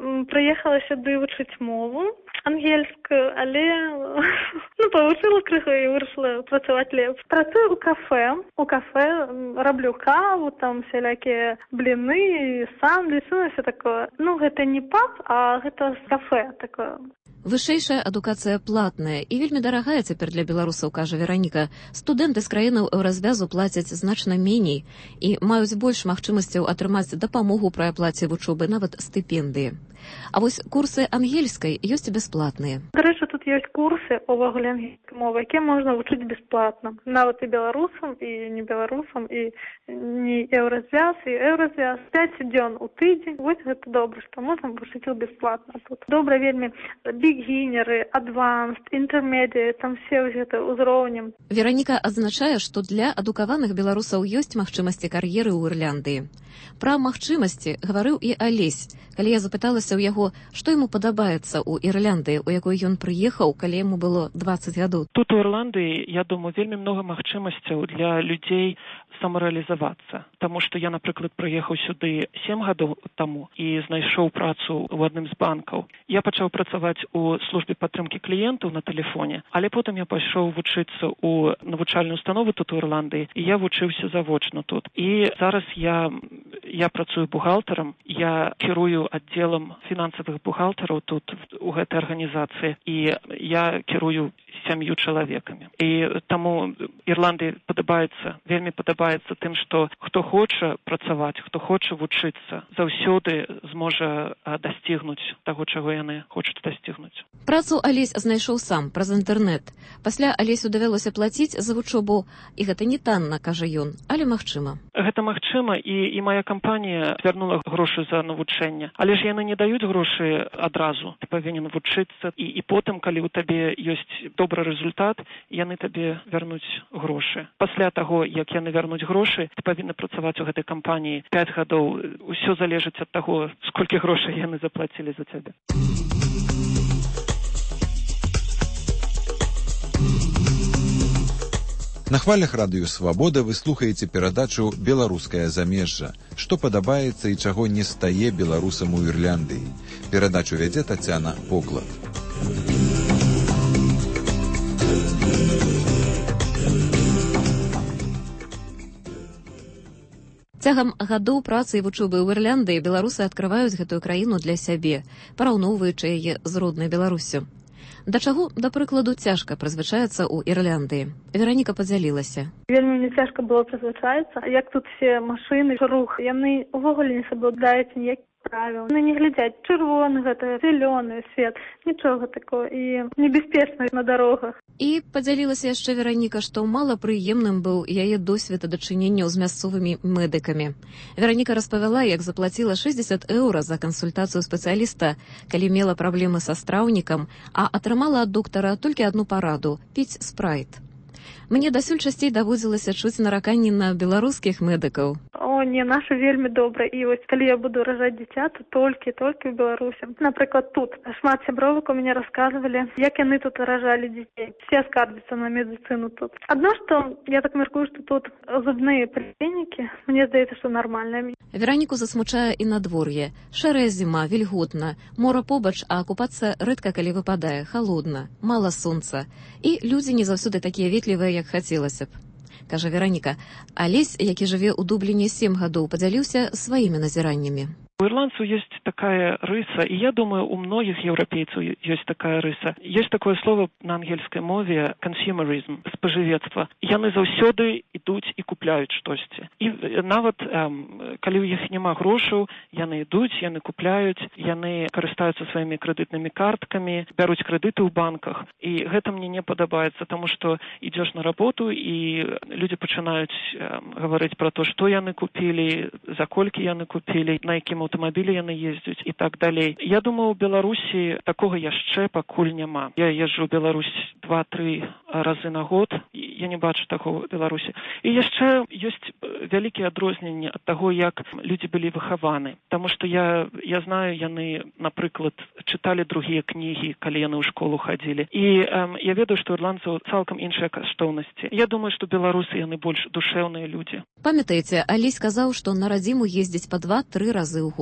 Прыехала сюды вучыць мову ангельскую, але ну, павучыла крыху і вырашыла працаваць лепш. Працую ў кафе. У кафе раблю каву, там всялякія бліны, сандвічы, ну, все такое. Ну, гэта не паб, а гэта кафе такое. Вышэйшая адукацыя платная і вельмі дарагая цяпер для беларусаў, кажа Вераніка. Студэнты з краінаў еўразвязу плацяць значна меней і маюць больш магчымасцяў атрымаць дапамогу пры аплаце вучобы, нават стыпендыі. А вось курсы ангельскай ёсць бясплатныя. Дарэчы, тут ёсць курсы увогуле ангельскай мовы, якія можна вучыць бясплатна. Нават і беларусам, і не беларусам, і не еўразвяз, і еўразвяз. пяць дзён у тыдзень. Вось гэта добра, што можна вучыць іх бясплатна тут. Добра вельмі бігінеры, адванст, інтэрмедыі, там все гэта ўзроўнем. Вераніка адзначае, што для адукаваных беларусаў ёсць магчымасці кар'еры ў Ірландыі. Пра магчымасці гаварыў і Алесь, калі я запыталася ў яго, што яму падабаецца ў Ірландыі, у якой ён прыехаў, калі яму было дваццаць гадоў. Тут у Ірландыі, я думаю, вельмі многа магчымасцяў для людзей самарэалізавацца. Таму што я, напрыклад, прыехаў сюды сем гадоў таму і знайшоў працу ў адным з банкаў. Я пачаў працаваць у службе падтрымкі кліентаў на тэлефоне, але потым я пайшоў вучыцца ў навучальную установу тут у Ірландыі, і я вучыўся завочна тут. І зараз я, я працую бухгалтарам, я кірую аддзелам фінансавых бухгалтараў тут у гэтай арганізацыі, і я кірую сям'ю чалавекамі. І таму Ірландыі падабаецца, вельмі падабаецца тым, што хто хоча працаваць, хто хоча вучыцца, заўсёды зможа дасцігнуць таго, чаго яны хочуць дасцігнуць. Працу Алесь знайшоў сам праз інтэрнэт. Пасля Алесю давялося плаціць за вучобу, і гэта не танна, кажа ён, але магчыма. Гэта магчыма, і, і мая кампанія вярнула грошы за навучэнне. Але ж яны не даюць грошы адразу. Ты павінен вучыцца, і, і потым, калі ў табе ёсць добры результат, яны табе вярнуць грошы. Пасля таго, як яны вярнуць грошы, ты павінна працаваць у гэтай кампаніі пяць гадоў. Усё залежыць ад таго, сколькі грошай яны заплацілі за цябе. На хвалях радыё «Свабода» вы слухаеце перадачу «Беларускае замежжа». Што падабаецца і чаго не стае беларусам у Ірландыі. Перадачу вядзе Тацяна Поклад. Цягам гадоў працы і вучобы ў Ірландыі беларусы адкрываюць гэтую краіну для сябе, параўноўваючы яе з роднай Беларуссю. Да чаго, да прыкладу, цяжка прызвычаецца ў Ірландыі. Вераніка падзялілася. Вельмі мне цяжка было прызвычаецца. Як тут все машыны, рух, яны ўвогуле не саблюдаюць ніякіх правіл. Яны не глядзяць чырвоны, гэта зялёны свет, нічога такого, і небяспечна на дарогах. І падзялілася яшчэ Вераніка, што мала прыемным быў яе досвед дачыненняў з мясцовымі медыкамі. Вераніка распавяла, як заплаціла шэсцьдзесят еўра за кансультацыю спецыяліста, калі мела праблемы са страўнікам, а атрымала ад доктара толькі адну параду – піць спрайт. Мне дасюль часцей даводзілася чуць нараканні на беларускіх медыкаў. Ой, о не, наша вельмі добра, і вось калі я буду ражаць дзіця, то толькі толькі ў Беларусі. Напрыклад, тут шмат сябровак у мяне расказвалі, як яны тут ражалі дзяцей. Все скардзяцца на медыцыну тут. Адно, што я так мяркую, што тут зубныя паліклінікі, мне здаецца, што нармальныя. Вераніку засмучае і надвор'е. Шэрая зіма, вільготна, мора побач, а акупацыя рэдка калі выпадае, халодна, мала сонца. І людзі не заўсёды такія ветлівыя, як хацелася б. Кажа Вераніка. Алесь, які жыве ў Дубліне сем гадоў, падзяліўся сваімі назіраннямі. У ирландцев есть такая рыса, и я думаю, у многих европейцев есть такая рыса. Есть такое слово на ангельской мове consumerism, споживецтво. Яны заўсёды ідуць і купляюць штосьці. І нават, эм, калі ў іх няма грошаў, яны ідуць, яны купляюць, яны карыстаюцца сваімі крэдытнымі карткамі, бяруць крэдыты ў банках. І гэта мне не падабаецца, таму што ідзеш на работу, і людзі пачынаюць эм, гаварыць пра то, што яны купілі, за колькі яны купілі, на якім аўтамабілі яны ездзяць і так далей. Я думаю, у Беларусі такога яшчэ пакуль няма. Я езджу ў Беларусь два-тры разы на год, я не бачу такого ў Беларусі. І яшчэ ёсць вялікія адрозненні ад таго, як людзі былі выхаваны. Таму што я, я знаю, яны, напрыклад, чыталі другія кнігі, калі яны ў школу хадзілі. І эм, я ведаю, што ірландцаў цалкам іншыя каштоўнасці. Я думаю, што беларусы яны больш душэўныя людзі. Памятаеце, Алесь сказаў, што на радзіму ездзіць па два-тры разы ў год.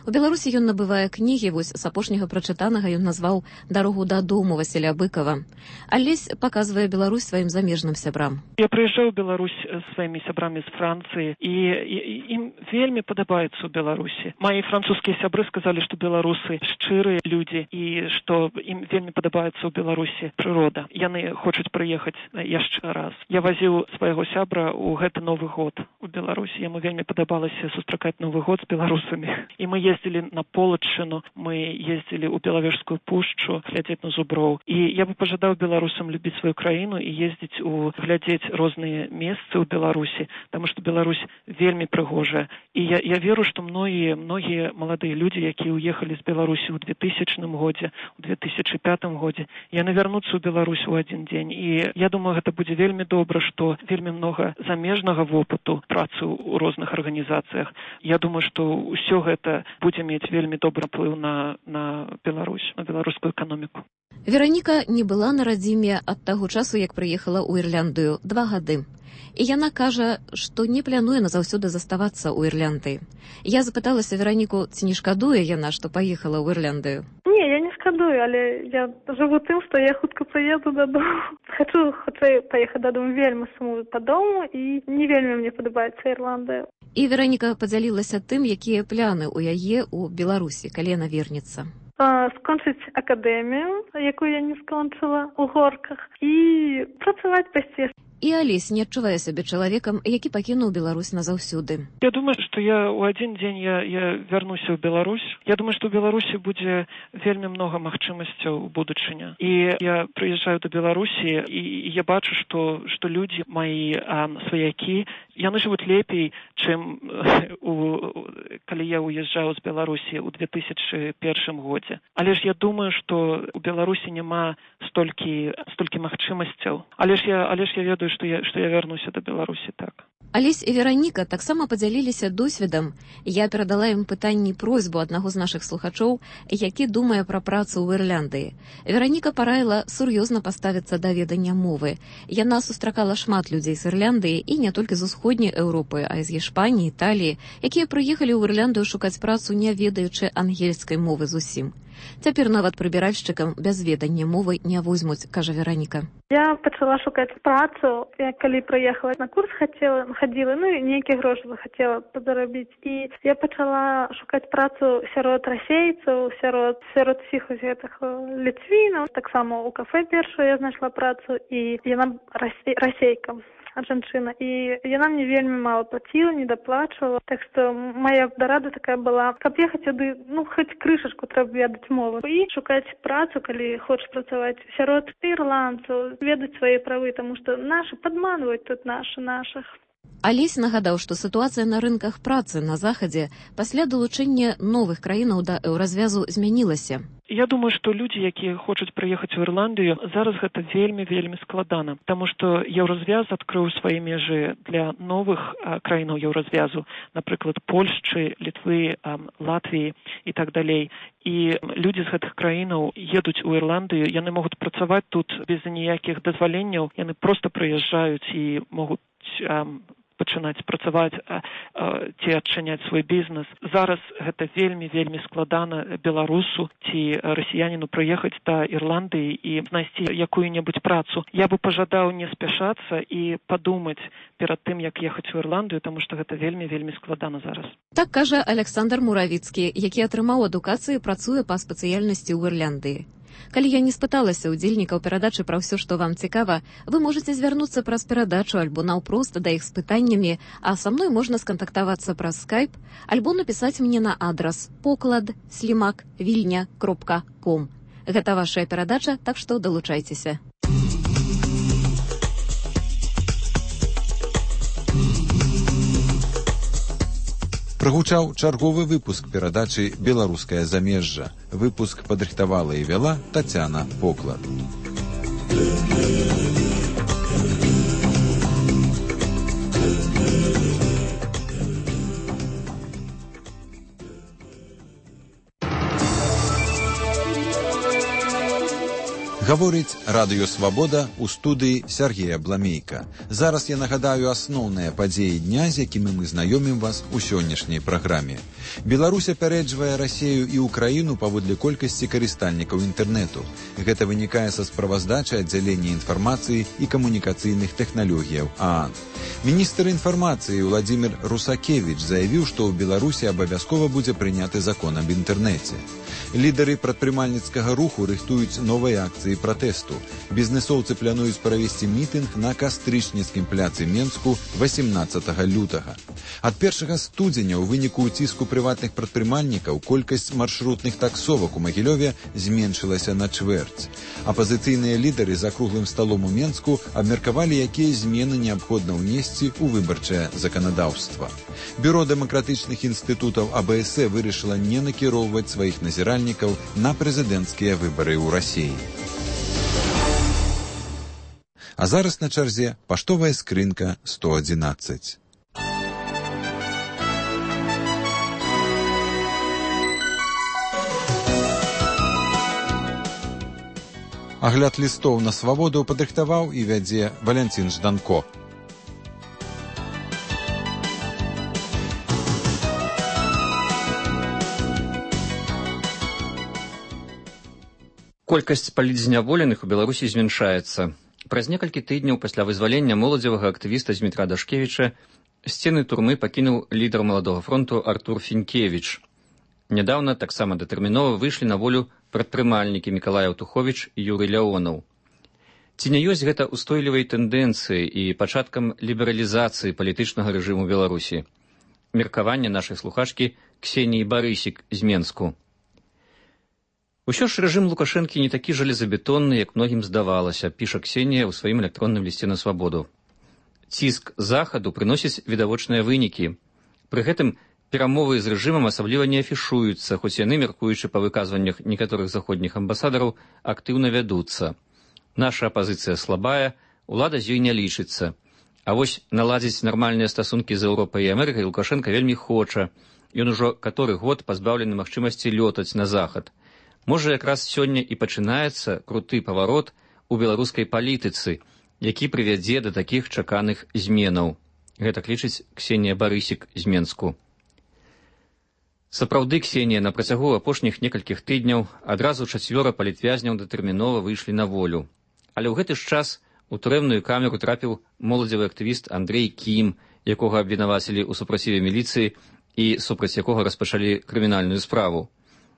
У Беларусі ён набывае кнігі, вось з апошняга прачытанага ён назваў «Дарогу дадому» Васіля Быкова. Алесь паказвае Беларусь сваім замежным сябрам. Я прыязджаў у Беларусь сваімі сябрамі з Францыі, і, і ім вельмі падабаецца ў Беларусі. Мае французскія сябры сказалі, што беларусы шчырыя людзі і што ім вельмі падабаецца ў Беларусі прырода. Яны хочуць прыехаць яшчэ раз. Я вазіў свайго сябра ў гэты Новы год у Беларусі. Яму вельмі падабалася сустракаць Новы год з беларусамі. І мы ездили на Полачыну, мы ездили ў Белавежскую пушчу, глядзець на зуброў. І я бы пажадаў беларусам любіць сваю краіну і ездзіць у глядзець розныя месцы ў Беларусі, таму што Беларусь вельмі прыгожая. І я, я веру, што многія, многія маладыя людзі, якія ўехалі з Беларусі ў двухтысячным годзе, у две тысячы пятым годзе, яны вярнуцца ў Беларусь у адзін дзень. І я думаю, гэта будзе вельмі добра, што вельмі многа замежнага вопыту працы ў розных арганізацыях. Я думаю, што ўсё гэта будзе мець вельмі добры ўплыў на, на Беларусь, на беларускую эканоміку. Вераніка не была на радзіме ад таго часу, як прыехала ў Ірландыю, два гады. І яна кажа, што не плануе назаўсёды заставацца ў Ірландыі. Я запыталася Вераніку, ці не шкадуе яна, што паехала ў Ірландыю. Не, я не шкадую, але я жыву тым, што я хутка прыеду дадому. Хачу хутчэй паехаць дадому, вельмі сумую па дому, і не вельмі мне падабаецца Ірландыя. І Вераніка падзялілася тым, якія пляны ў яе ў Беларусі, калі яна вернецца. Скончыць акадэмію, якую я не скончыла, у Горках, і працаваць пайсці. І Алесь не адчувае сябе чалавекам, які пакінуў Беларусь назаўсёды. Я думаю, што я ў адзін дзень я, я вярнуся ў Беларусь. Я думаю, што ў Беларусі будзе вельмі многа магчымасцяў у будучыня. І я прыязджаю да Беларусі, і я бачу, што, што людзі, мои а, сваякі, яны жывуць лепей, чым у, калі я уязджаў з Беларусі ў две тысячы першым годзе. Але ж я думаю, што ў Беларусі няма столькі, столькі магчымасцяў. Але ж я, але ж я ведаю, што я, што я вярнуся да Беларусі, так. Алесь і Вераніка таксама падзяліліся досведам. Я перадала ім пытанні просьбу аднаго з нашых слухачоў, які думае пра працу ў Ірландыі. Вераніка параіла сур'ёзна паставіцца да ведання мовы. Яна сустракала шмат людзей з Ірландыі і не толькі з усходняй Еўропы, а і з Іспаніі, Італіі, якія прыехалі ў Ірландыю шукаць працу, не ведаючы ангельскай мовы зусім. Цяпер нават прыбіральшчыкам без ведання мовы не возьмуць, кажа Вераніка. Я пачала шукаць працу, я калі прыехала на курс хацела, хадзіла, ну і нейкія грошы захацела падарабіць. І я пачала шукаць працу сярод расейцаў, сярод, сярод усіх гэтых ліцвінаў. Таксама ў кафэ першую я знайшла працу, і яна расей, расейка. Жанчына, і яна мне вельмі мала плаціла, не даплачвала. Так што моя дарада такая была, каб ехаць сюды, ну, хоць крышачку трэба ведаць мову. І шукаць працу, калі хочаш працаваць сярод ірландцаў, ведаць свае правы, таму што нашы падманваюць тут нашы нашых. Алесь нагадаў, што сітуацыя на рынках працы на захадзе пасля далучэння новых краінаў да еўразвязу змянілася. Я думаю, што людзі, якія хочуць прыехаць у Ірландыю, зараз гэта вельмі-вельмі складана, таму што еўразвяз адкрыў свае межы для новых а, краінаў еўразвязу, напрыклад, Польшчы, Літвы, а, Латвіі і так далей. І людзі з гэтых краінаў едуць у Ірландыю, яны могуць працаваць тут без ніякіх дазваленняў, яны проста прыязджаюць і могуць а, пачынаць працаваць а, а, ці адчыняць свой бізнес. Зараз гэта вельмі-вельмі складана беларусу ці расіяніну прыехаць да Ірландыі і знайсці якую-небудзь працу. Я бы пажадаў не спяшацца і падумаць перад тым, як ехаць у Ірландыю, таму што гэта вельмі-вельмі складана зараз. Так кажа Александр Муравіцкі, які атрымаў адукацыю і працуе па спецыяльнасці ў Ірландыі. Калі я не спыталася удзельнікаў перадачы пра ўсё, што вам цікава, вы можаце звярнуцца праз перадачу альбо наўпрост да іх з пытаннямі, а са мной можна скантактавацца праз скайп, альбо напісаць мне на адрас поклад слімак вільня кропка ком. Гэта вашая перадача, так што далучайцеся. Прагучаў чарговы выпуск перадачы «Беларускае замежжа». Выпуск падрыхтавала і вяла Тацяна Поклад. Гаворыць Радыё Свабода ў студыі Сергея Бламейка. Зараз я нагадаю асноўныя падзеі дня, з якімі мы знаёмім вас у сённяшняй праграме. Беларусь апярэджвае Расею і Украіну паводле колькасці карыстальнікаў інтэрнэту. Гэта вынікае са справаздачы аддзялення інфармацыі і камунікацыйных тэхналогіяў ААН. Міністр інфармацыі Владзімір Русакевіч заявіў, што ў Беларусі абавязкова будзе прыняты закон аб інтэрнэце. Лідары прадпрымальніцкага руху рыхтуюць новыя акцыі пратэсту. Бізнесоўцы плануюць правесці мітынг на кастрычніцкім пляцы Менску васемнаццатага лютага. Ад першага студзеня ў выніку ўціску прыватных прадпрымальнікаў колькасць маршрутных таксовак у Магілёве зменшылася на чвэрць. Апазіцыйныя лідары за круглым сталом у Менску абмеркавалі, якія змены неабходна ўнесці ў выбарчае заканадаўства. Бюро дэмакратычных інстытутаў АБС вырашыла не накіроўваць сваіх назіральнікаў на прэзідэнцкія выбары ў Расіі. А зараз на чарзе паштовая скрынка сто адзінаццаць. Агляд лістоў на свабоду падрыхтаваў і вядзе Валянцін Жданко. Колькасць палітзняволеных у Беларусі змяншаецца. Праз некалькі тыдняў пасля вызвалення моладзевага актывіста Змітра Дашкевіча сцены турмы пакінуў лідар Маладога фронту Артур Фінкевіч. Нядаўна таксама датэрмінова выйшлі на волю прадпрымальнікі Мікалай Аўтуховіч і Юрый Ляонаў. Ці не ёсць гэта устойлівай тэндэнцыяй і пачаткам лібералізацыі палітычнага рэжыму Беларусі? Меркаванне нашай слухачкі Ксеніі Барысік з Менску. Усё ж рэжым Лукашэнкі не такі жалезабетонны, як многім здавалася, піша Ксенія ў сваім электронным лісце на свабоду. Ціск захаду прыносіць відавочныя вынікі. Пры гэтым перамовы з рэжымам асабліва не афішуюцца, хоць яны, мяркуючы па выказваннях некаторых заходніх амбасадараў, актыўна вядуцца. Наша апазіцыя слабая, улада з ёй не лічыцца. А вось наладзіць нармальныя стасункі з Еўропай і Амерыкай Лукашенка вельмі хоча. Ён ужо каторы год пазбаўлены магчымасці лётаць на захад. Можа, якраз сёння і пачынаецца круты паварот у беларускай палітыцы, які прывядзе да такіх чаканых зменаў. Гэтак лічыць Ксенія Барысік з Менску. Сапраўды, Ксенія, на працягу апошніх некалькіх тыдняў адразу чацвёра палітвязняў датэрмінова выйшлі на волю. Але ў гэты ж час у турэмную камеру трапіў моладзевы актывіст Андрэй Кім, якога абвінавацілі ў супраціве міліцыі і супраць якога распачалі крымінальную справу.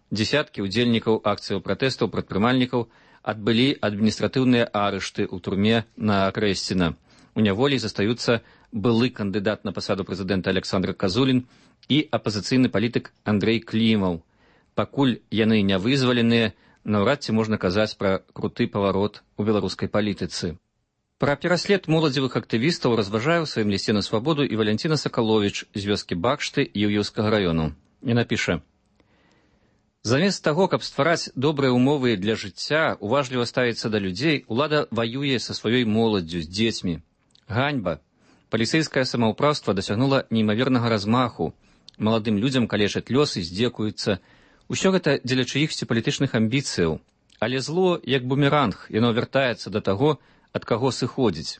Дзесяткі ўдзельнікаў акцыяў пратэстаў прадпрымальнікаў адбылі адміністратыўныя арышты ў турме на Крэсціна. У няволі застаюцца былы кандыдат на пасаду прэзідэнта Александр Казулін і апазіцыйны палітык Андрэй Клімаў. Пакуль яны не вызваленыя, наўрад ці можна казаць пра круты паварот у беларускай палітыцы. Пра пераслед моладзевых актывістаў разважае ў сваім лісце на свабоду і Валянціна Сакаловіч з вёскі Бакшты Іўеўскага раёну. Яна піша: «Замест таго, каб ствараць добрыя ўмовы для жыцця, уважліва ставіцца да людзей, улада ваюе са сваёй моладдзю, з дзецьмі. Ганьба. Паліцэйскае самаўпраўства дасягнула неймавернага размаху. Маладым людзям калечаць лёс і здзекуюцца. Усё гэта дзеля чыіхсьці палітычных амбіцыяў. Але зло, як бумеранг, яно вяртаецца да таго, ад каго сыходзіць.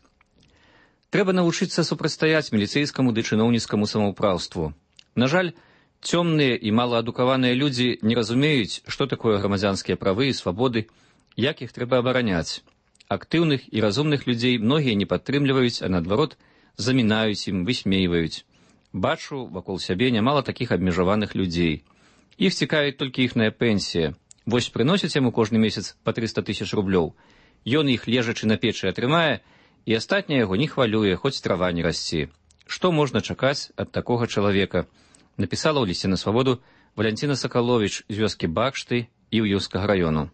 Трэба навучыцца супрацьстаяць міліцэйскаму ды чыноўніцкаму самаўпраўству. На жаль, цёмныя і малаадукаваныя людзі не разумеюць, што такое грамадзянскія правы і свабоды, як іх трэба абараняць. Актыўных і разумных людзей многія не падтрымліваюць, а наадварот, замінаюць ім, высмейваюць. Бачу вакол сябе нямала такіх абмежаваных людзей. Іх цікавіць толькі іхная пенсія. Вось прыносяць яму кожны месяц па трыста тысяч рублёў. Ён іх лежачы на печы атрымае, і астатняе яго не хвалюе, хоць трава не расці. Што можна чакаць ад такога чалавека? Напісала ў лісце на свабоду Валянціна Сакаловіч з вёскі Бакшты Іўеўскага раёну.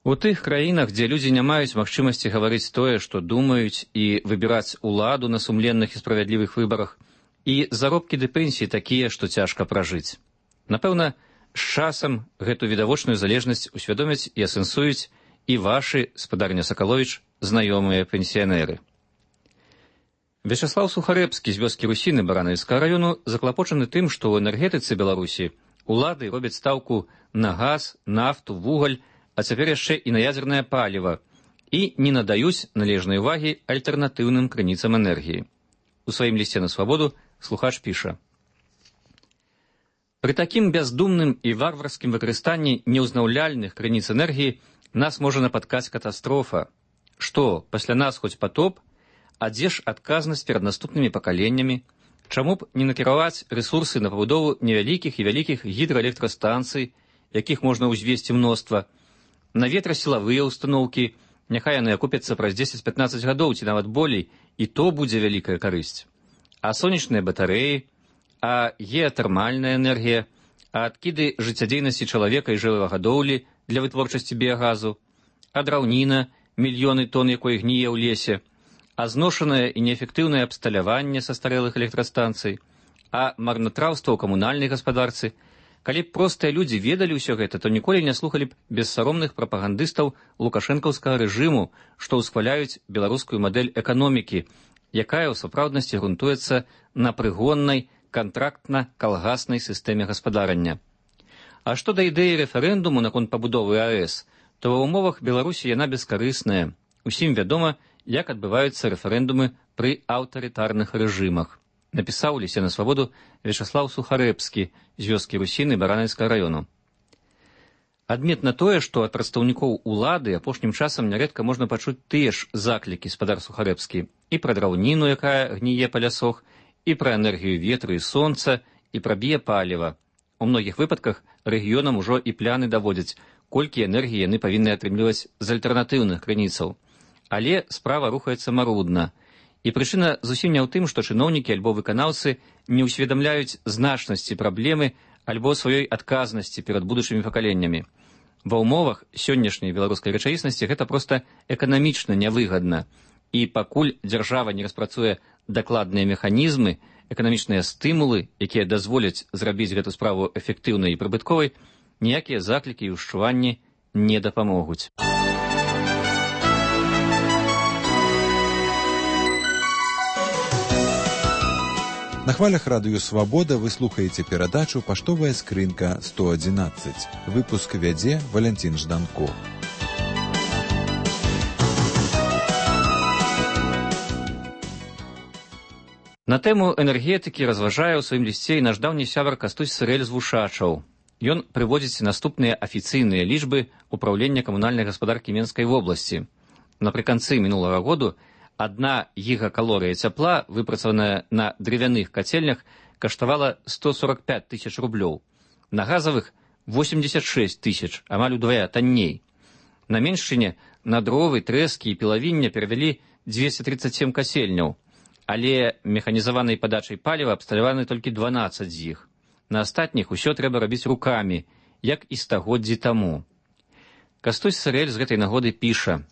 У тых краінах, дзе людзі не маюць магчымасці гаварыць тое, што думаюць, і выбіраць уладу на сумленных і справядлівых выбарах, і заробкі ды пенсіі такія, што цяжка пражыць. Напэўна, з часам гэту відавочную залежнасць усвядомяць і асэнсуюць і вашы, спадарня Сакаловіч, знаёмыя пенсіянеры. Вячаслаў Сухарэбскі з вёскі Русіны Баранавіцкага раёну заклапочаны тым, што ў энергетыцы Беларусі улады робяць стаўку на газ, нафту, вугаль, а цяпер яшчэ і на ядзернае паліва, і не надаюць належнай увагі альтэрнатыўным крыніцам энергіі. У сваім лісце на свабоду слухач піша: «Пры такім бяздумным і варварскім выкарыстанні неўзнаўляльных крыніц энергіі нас можа напаткаць катастрофа. Што, пасля нас хоць патоп? А дзе ж адказнасць перад наступнымі пакаленнямі? Чаму б не накіраваць рэсурсы на пабудову невялікіх і вялікіх гідраэлектрастанцый, якіх можна ўзвесці мноства, на ветрасілавыя ўстаноўкі, няхай яны акупяцца праз дзесяць-пятнаццаць гадоў ці нават болей, і то будзе вялікая карысць. А сонечныя батарэі, а геатэрмальная энергія, а адкіды жыццядзейнасці чалавека і жывёлагадоўлі для вытворчасці біягазу, а драўніна, мільёны тонн якой гніе ў лесе, а зношанае і неэфектыўнае абсталяванне са старэлых электрастанцый, а марнатраўства ў камунальнай гаспадарцы. Калі б простыя людзі ведалі ўсё гэта, то ніколі не слухалі б бессаромных прапагандыстаў лукашэнкаўскага рэжыму, што ўсхваляюць беларускую мадэль эканомікі, якая ў сапраўднасці грунтуецца на прыгоннай, кантрактна-калгаснай сістэме гаспадарання. А што да ідэі рэферэндуму наконт пабудовы АЭС, то ва ўмовах Беларусі яна бескарысная. Усім вядома, як адбываюцца рэферэндумы пры аўтарытарных рэжымах. Напісаў у лісце на свабоду Вячаслаў Сухарэбскі з вёскі Русіны Баранавіцкага раёну. Адметна тое, што ад прадстаўнікоў улады апошнім часам нярэдка можна пачуць тыя ж заклікі, спадар Сухарэбскі, і пра драўніну, якая гніе па лясох, і пра энергію ветру і сонца, і пра біяпаліва. У многіх выпадках рэгіёнам ужо і пляны даводзяць, колькі энергіі яны павінны атрымліваць з альтэрнатыўных крыніцаў. Але справа рухаецца марудна. І прычына зусім не ў тым, што чыноўнікі альбо выканаўцы не ўсведамляюць значнасці праблемы альбо сваёй адказнасці перад будучымі пакаленнямі. Ва ўмовах сённяшняй беларускай рэчаіснасці гэта проста эканамічна нявыгадна. І пакуль дзяржава не распрацуе дакладныя механізмы, эканамічныя стымулы, якія дазволяць зрабіць гэту справу эфектыўнай і прыбытковай, ніякія заклікі і ўшчуванні не дапамогуць. На хвалях радыё «Свабода» вы слухаеце перадачу «Паштовая скрынка сто адзінаццаць». Выпуск вядзе Валянцін Жданко. На тэму энергетыкі разважае ў сваім лісце і наш даўні сябар Кастусь Сырэль з Вушачаў. Ён прыводзіць наступныя афіцыйныя лічбы ўпраўлення камунальнай гаспадаркі Менскай вобласці. Напрыканцы мінулага году адна гігакалорыя цяпла, выпрацаваная на дрывяных кацельнях, каштавала сто сорок пять тысяч рублёў. На газавых восемьдесят шесть тысяч, амаль удвая танней. На Меншчыне на дровы, трэскі і пілавіння перавялі двести тридцать семь касельняў, але механізаванай падачай паліва абсталяваны толькі дванаццаць з іх. На астатніх усё трэба рабіць рукамі, як і стагоддзі таму. Кастусь Сырэль з гэтай нагоды піша: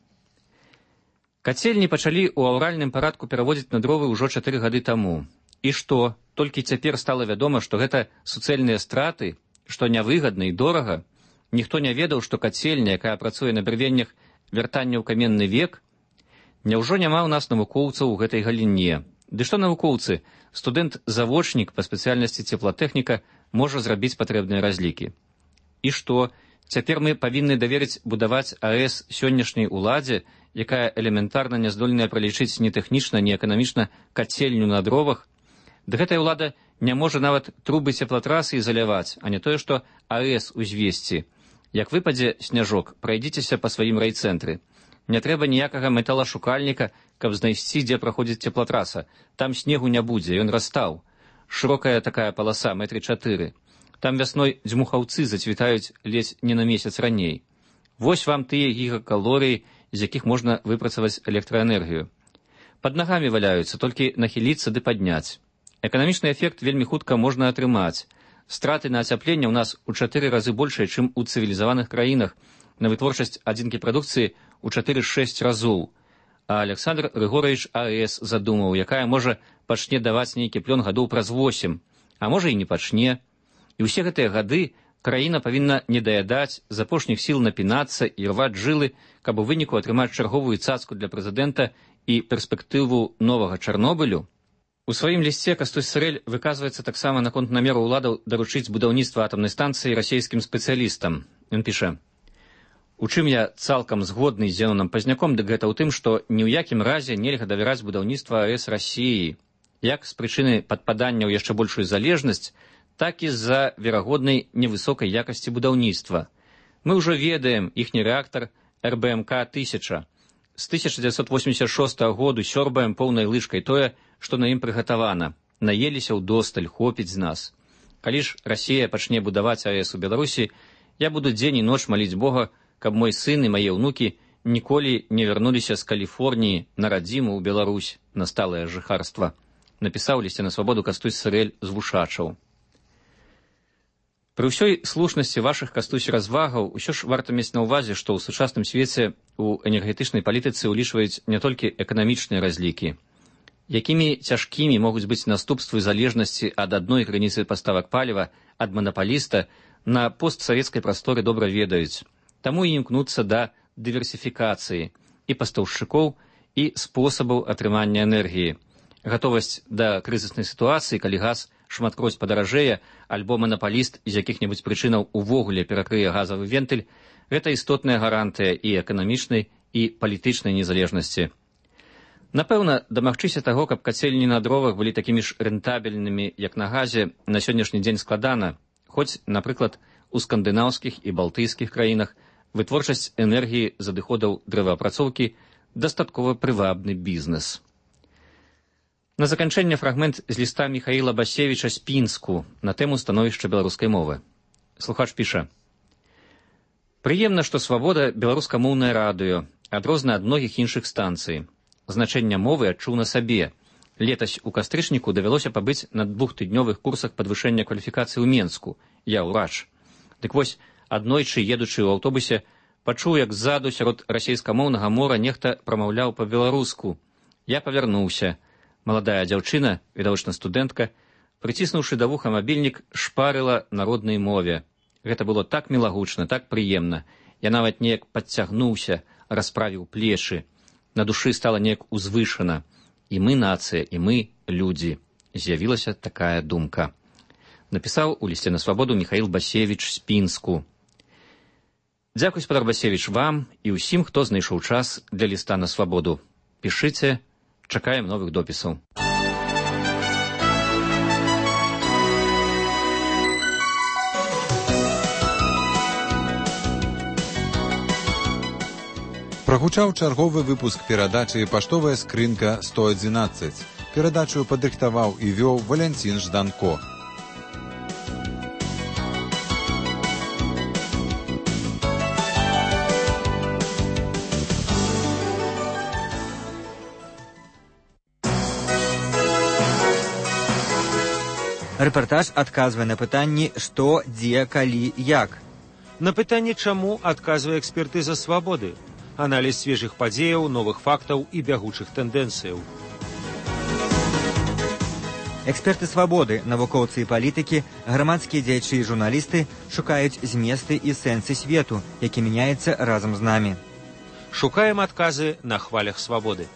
Кацельні пачалі ў аўральным парадку пераводзіць на дровы ўжо чатыры гады таму. І што? Толькі цяпер стала вядома, што гэта суцэльныя страты, што нявыгадна і дорага. Ніхто не ведаў, што кацельня, якая працуе на брывеннях вяртання ў каменны век? Няўжо няма ў нас навукоўцаў у гэтай галіне? Ды што навукоўцы? Студэнт-завочнік па спецыяльнасці цеплатэхніка можа зрабіць патрэбныя разлікі. І што? Цяпер мы павінны даверыць будаваць АЭС сённяшняй уладзе, якая элементарна не здольная пралічыць ні тэхнічна, ні эканамічна кацельню на дровах? Ды гэтая ўлада не можа нават трубы цеплатрасы ізаляваць, а не тое, што АЭС узвесці. Як выпадзе сняжок, прайдзіцеся па сваім райцэнтры. Не трэба ніякага металашукальніка, каб знайсці, дзе праходзіць цеплатраса. Там снегу не будзе, ён растаў. Шырокая такая паласа, метры чатыры. Там вясной дзьмухаўцы зацвітаюць ледзь не на месяц раней. Вось вам тыя гігакалорыі, з якіх можна выпрацаваць электраэнергію. Пад нагамі валяюцца, толькі нахіліцца ды падняць. Эканамічны эфект вельмі хутка можна атрымаць. Страты на ацяпленне ў нас у чатыры разы большыя, чым у цывілізаваных краінах. На вытворчасць адзінкі прадукцыі у чатыры-шэсць разоў. А Александр Григорович АЭС задумаў, якая можа пачне даваць нейкі плён гадоў праз восем, а можа і не пачне. І ўсе гэтыя гады краіна павінна не даядаць, з апошніх сіл напінацца і рваць жылы, каб у выніку атрымаць чарговую цацку для прэзідэнта і перспектыву новага Чарнобылю. У сваім лісце Кастусь Сырэль выказваецца таксама наконт намеру ўладаў даручыць будаўніцтва атамнай станцыі расійскім спецыялістам. Ён піша: «У чым я цалкам згодны з Зенонам Пазняком, дык гэта ў тым, што ні ў якім разе нельга давяраць будаўніцтва АЭС Расіі, як з прычыны падпадання ў яшчэ большую залежнасць, так і з-за верагоднай невысокай якасці будаўніцтва. Мы ўжо ведаем іхні рэактар эр бэ эм ка тысяча. З тысяча дзевяцьсот восемьдесят шостага году сёрбаем поўнай лыжкай тое, што на ім прыгатавана. Наеліся ўдосталь, хопіць з нас. Калі ж Расія пачне будаваць АЭС у Беларусі, я буду дзень і ноч маліць Бога, каб мой сын і мае ўнукі ніколі не вярнуліся з Каліфорніі на радзіму ў Беларусь, на сталае жыхарства», напісаў лісце на свабоду Кастусь Сырэль з Вушачаў. Пры ўсёй слушнасці вашых, Кастусь, развагаў, усё ж варта мець на ўвазе, што ў сучасным свеце ў энергетычнай палітыцы ўлічваюць не толькі эканамічныя разлікі. Якімі цяжкімі могуць быць наступствы залежнасці ад адной граніцы паставак паліва ад манапаліста на постсавецкай прасторы добра ведаюць. Таму і імкнуцца да дыверсіфікацыі і пастаўшчыкоў, і спосабаў атрымання энергіі. Гатовасць да крызіснай сітуацыі, калі газ шматкроць падаражэе, альбо манапаліст з якіх-небудзь прычынаў увогуле перакрые газавы вентыль, гэта істотная гарантыя і эканамічнай, і палітычнай незалежнасці. Напэўна, дамагчыся таго, каб кацельні на дровах былі такімі ж рэнтабельнымі, як на газе, на сённяшні дзень складана, хоць, напрыклад, у скандынаўскіх і балтыйскіх краінах вытворчасць энергіі з адыходаў дрэваапрацоўкі дастаткова прывабны бізнес. На заканчэнне фрагмент з ліста Міхаіла Басевіча з Пінску на тэму становішча беларускай мовы. Слухач піша: «Прыемна, што свабода беларускамоўнае радыё, адрозна ад многіх іншых станцый. Значэнне мовы адчуў на сабе. Летась у кастрычніку давялося пабыць на двухтыднёвых курсах падвышэння кваліфікацыі ў Менску. Я ўрач. Дык вось, аднойчы, едучы ў аўтобусе, пачуў, як ззаду сярод расейскамоўнага мора нехта прамаўляў па-беларуску. Я павярнуўся. Маладая дзяўчына, відавочна студэнтка, прыціснуўшы да вуха мабільнік, шпарыла на роднай мове. Гэта было так мілагучна, так прыемна. Я нават неяк падцягнуўся, расправіў плечы. На душы стала неяк узвышана. І мы нацыя, і мы людзі. З'явілася такая думка. Напісаў у лісце на свабоду Міхаіл Басевіч з Пінску. Дзякуй, спадар Басевіч, вам і ўсім, хто знайшоў час для ліста на свабоду. Пішыце, чакаем новых допісаў. Прагучаў чарговы выпуск перадачы «Паштовая скрынка сто адзінаццаць». Перадачу падрыхтаваў і вёў Валянцін Жданко. Рэпартаж адказвае на пытанні «Што, дзе, калі, як». На пытанне «Чаму» адказвае экспертыза «Свабоды». Аналіз свежых падзеяў, новых фактаў і бягучых тэндэнцыяў. Эксперты свабоды, навукоўцы і палітыкі, грамадскія дзеячы і журналісты шукаюць зместы і сэнсы свету, які мяняецца разам з намі. Шукаем адказы на хвалях свабоды.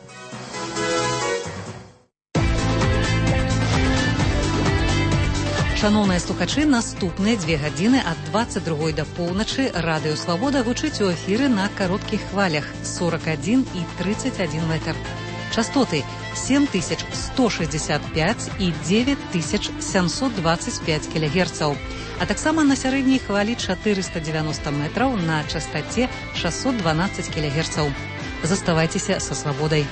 Шановныя слухачы, наступныя дзве гадзіны ад дваццаць другой да поўначы радыё Свабода гучыць у эфіры на кароткіх хвалях сорок адзін і тридцать один метр. Частоты семь тысяч сто шестьдесят пять і девять тысяч семьсот двадцать пять кілогерцаў, а таксама на сярэдняй хвалі четыреста девяносто метраў на частоце шестьсот двенадцать кілогерцаў. Заставайцеся са Свабодай.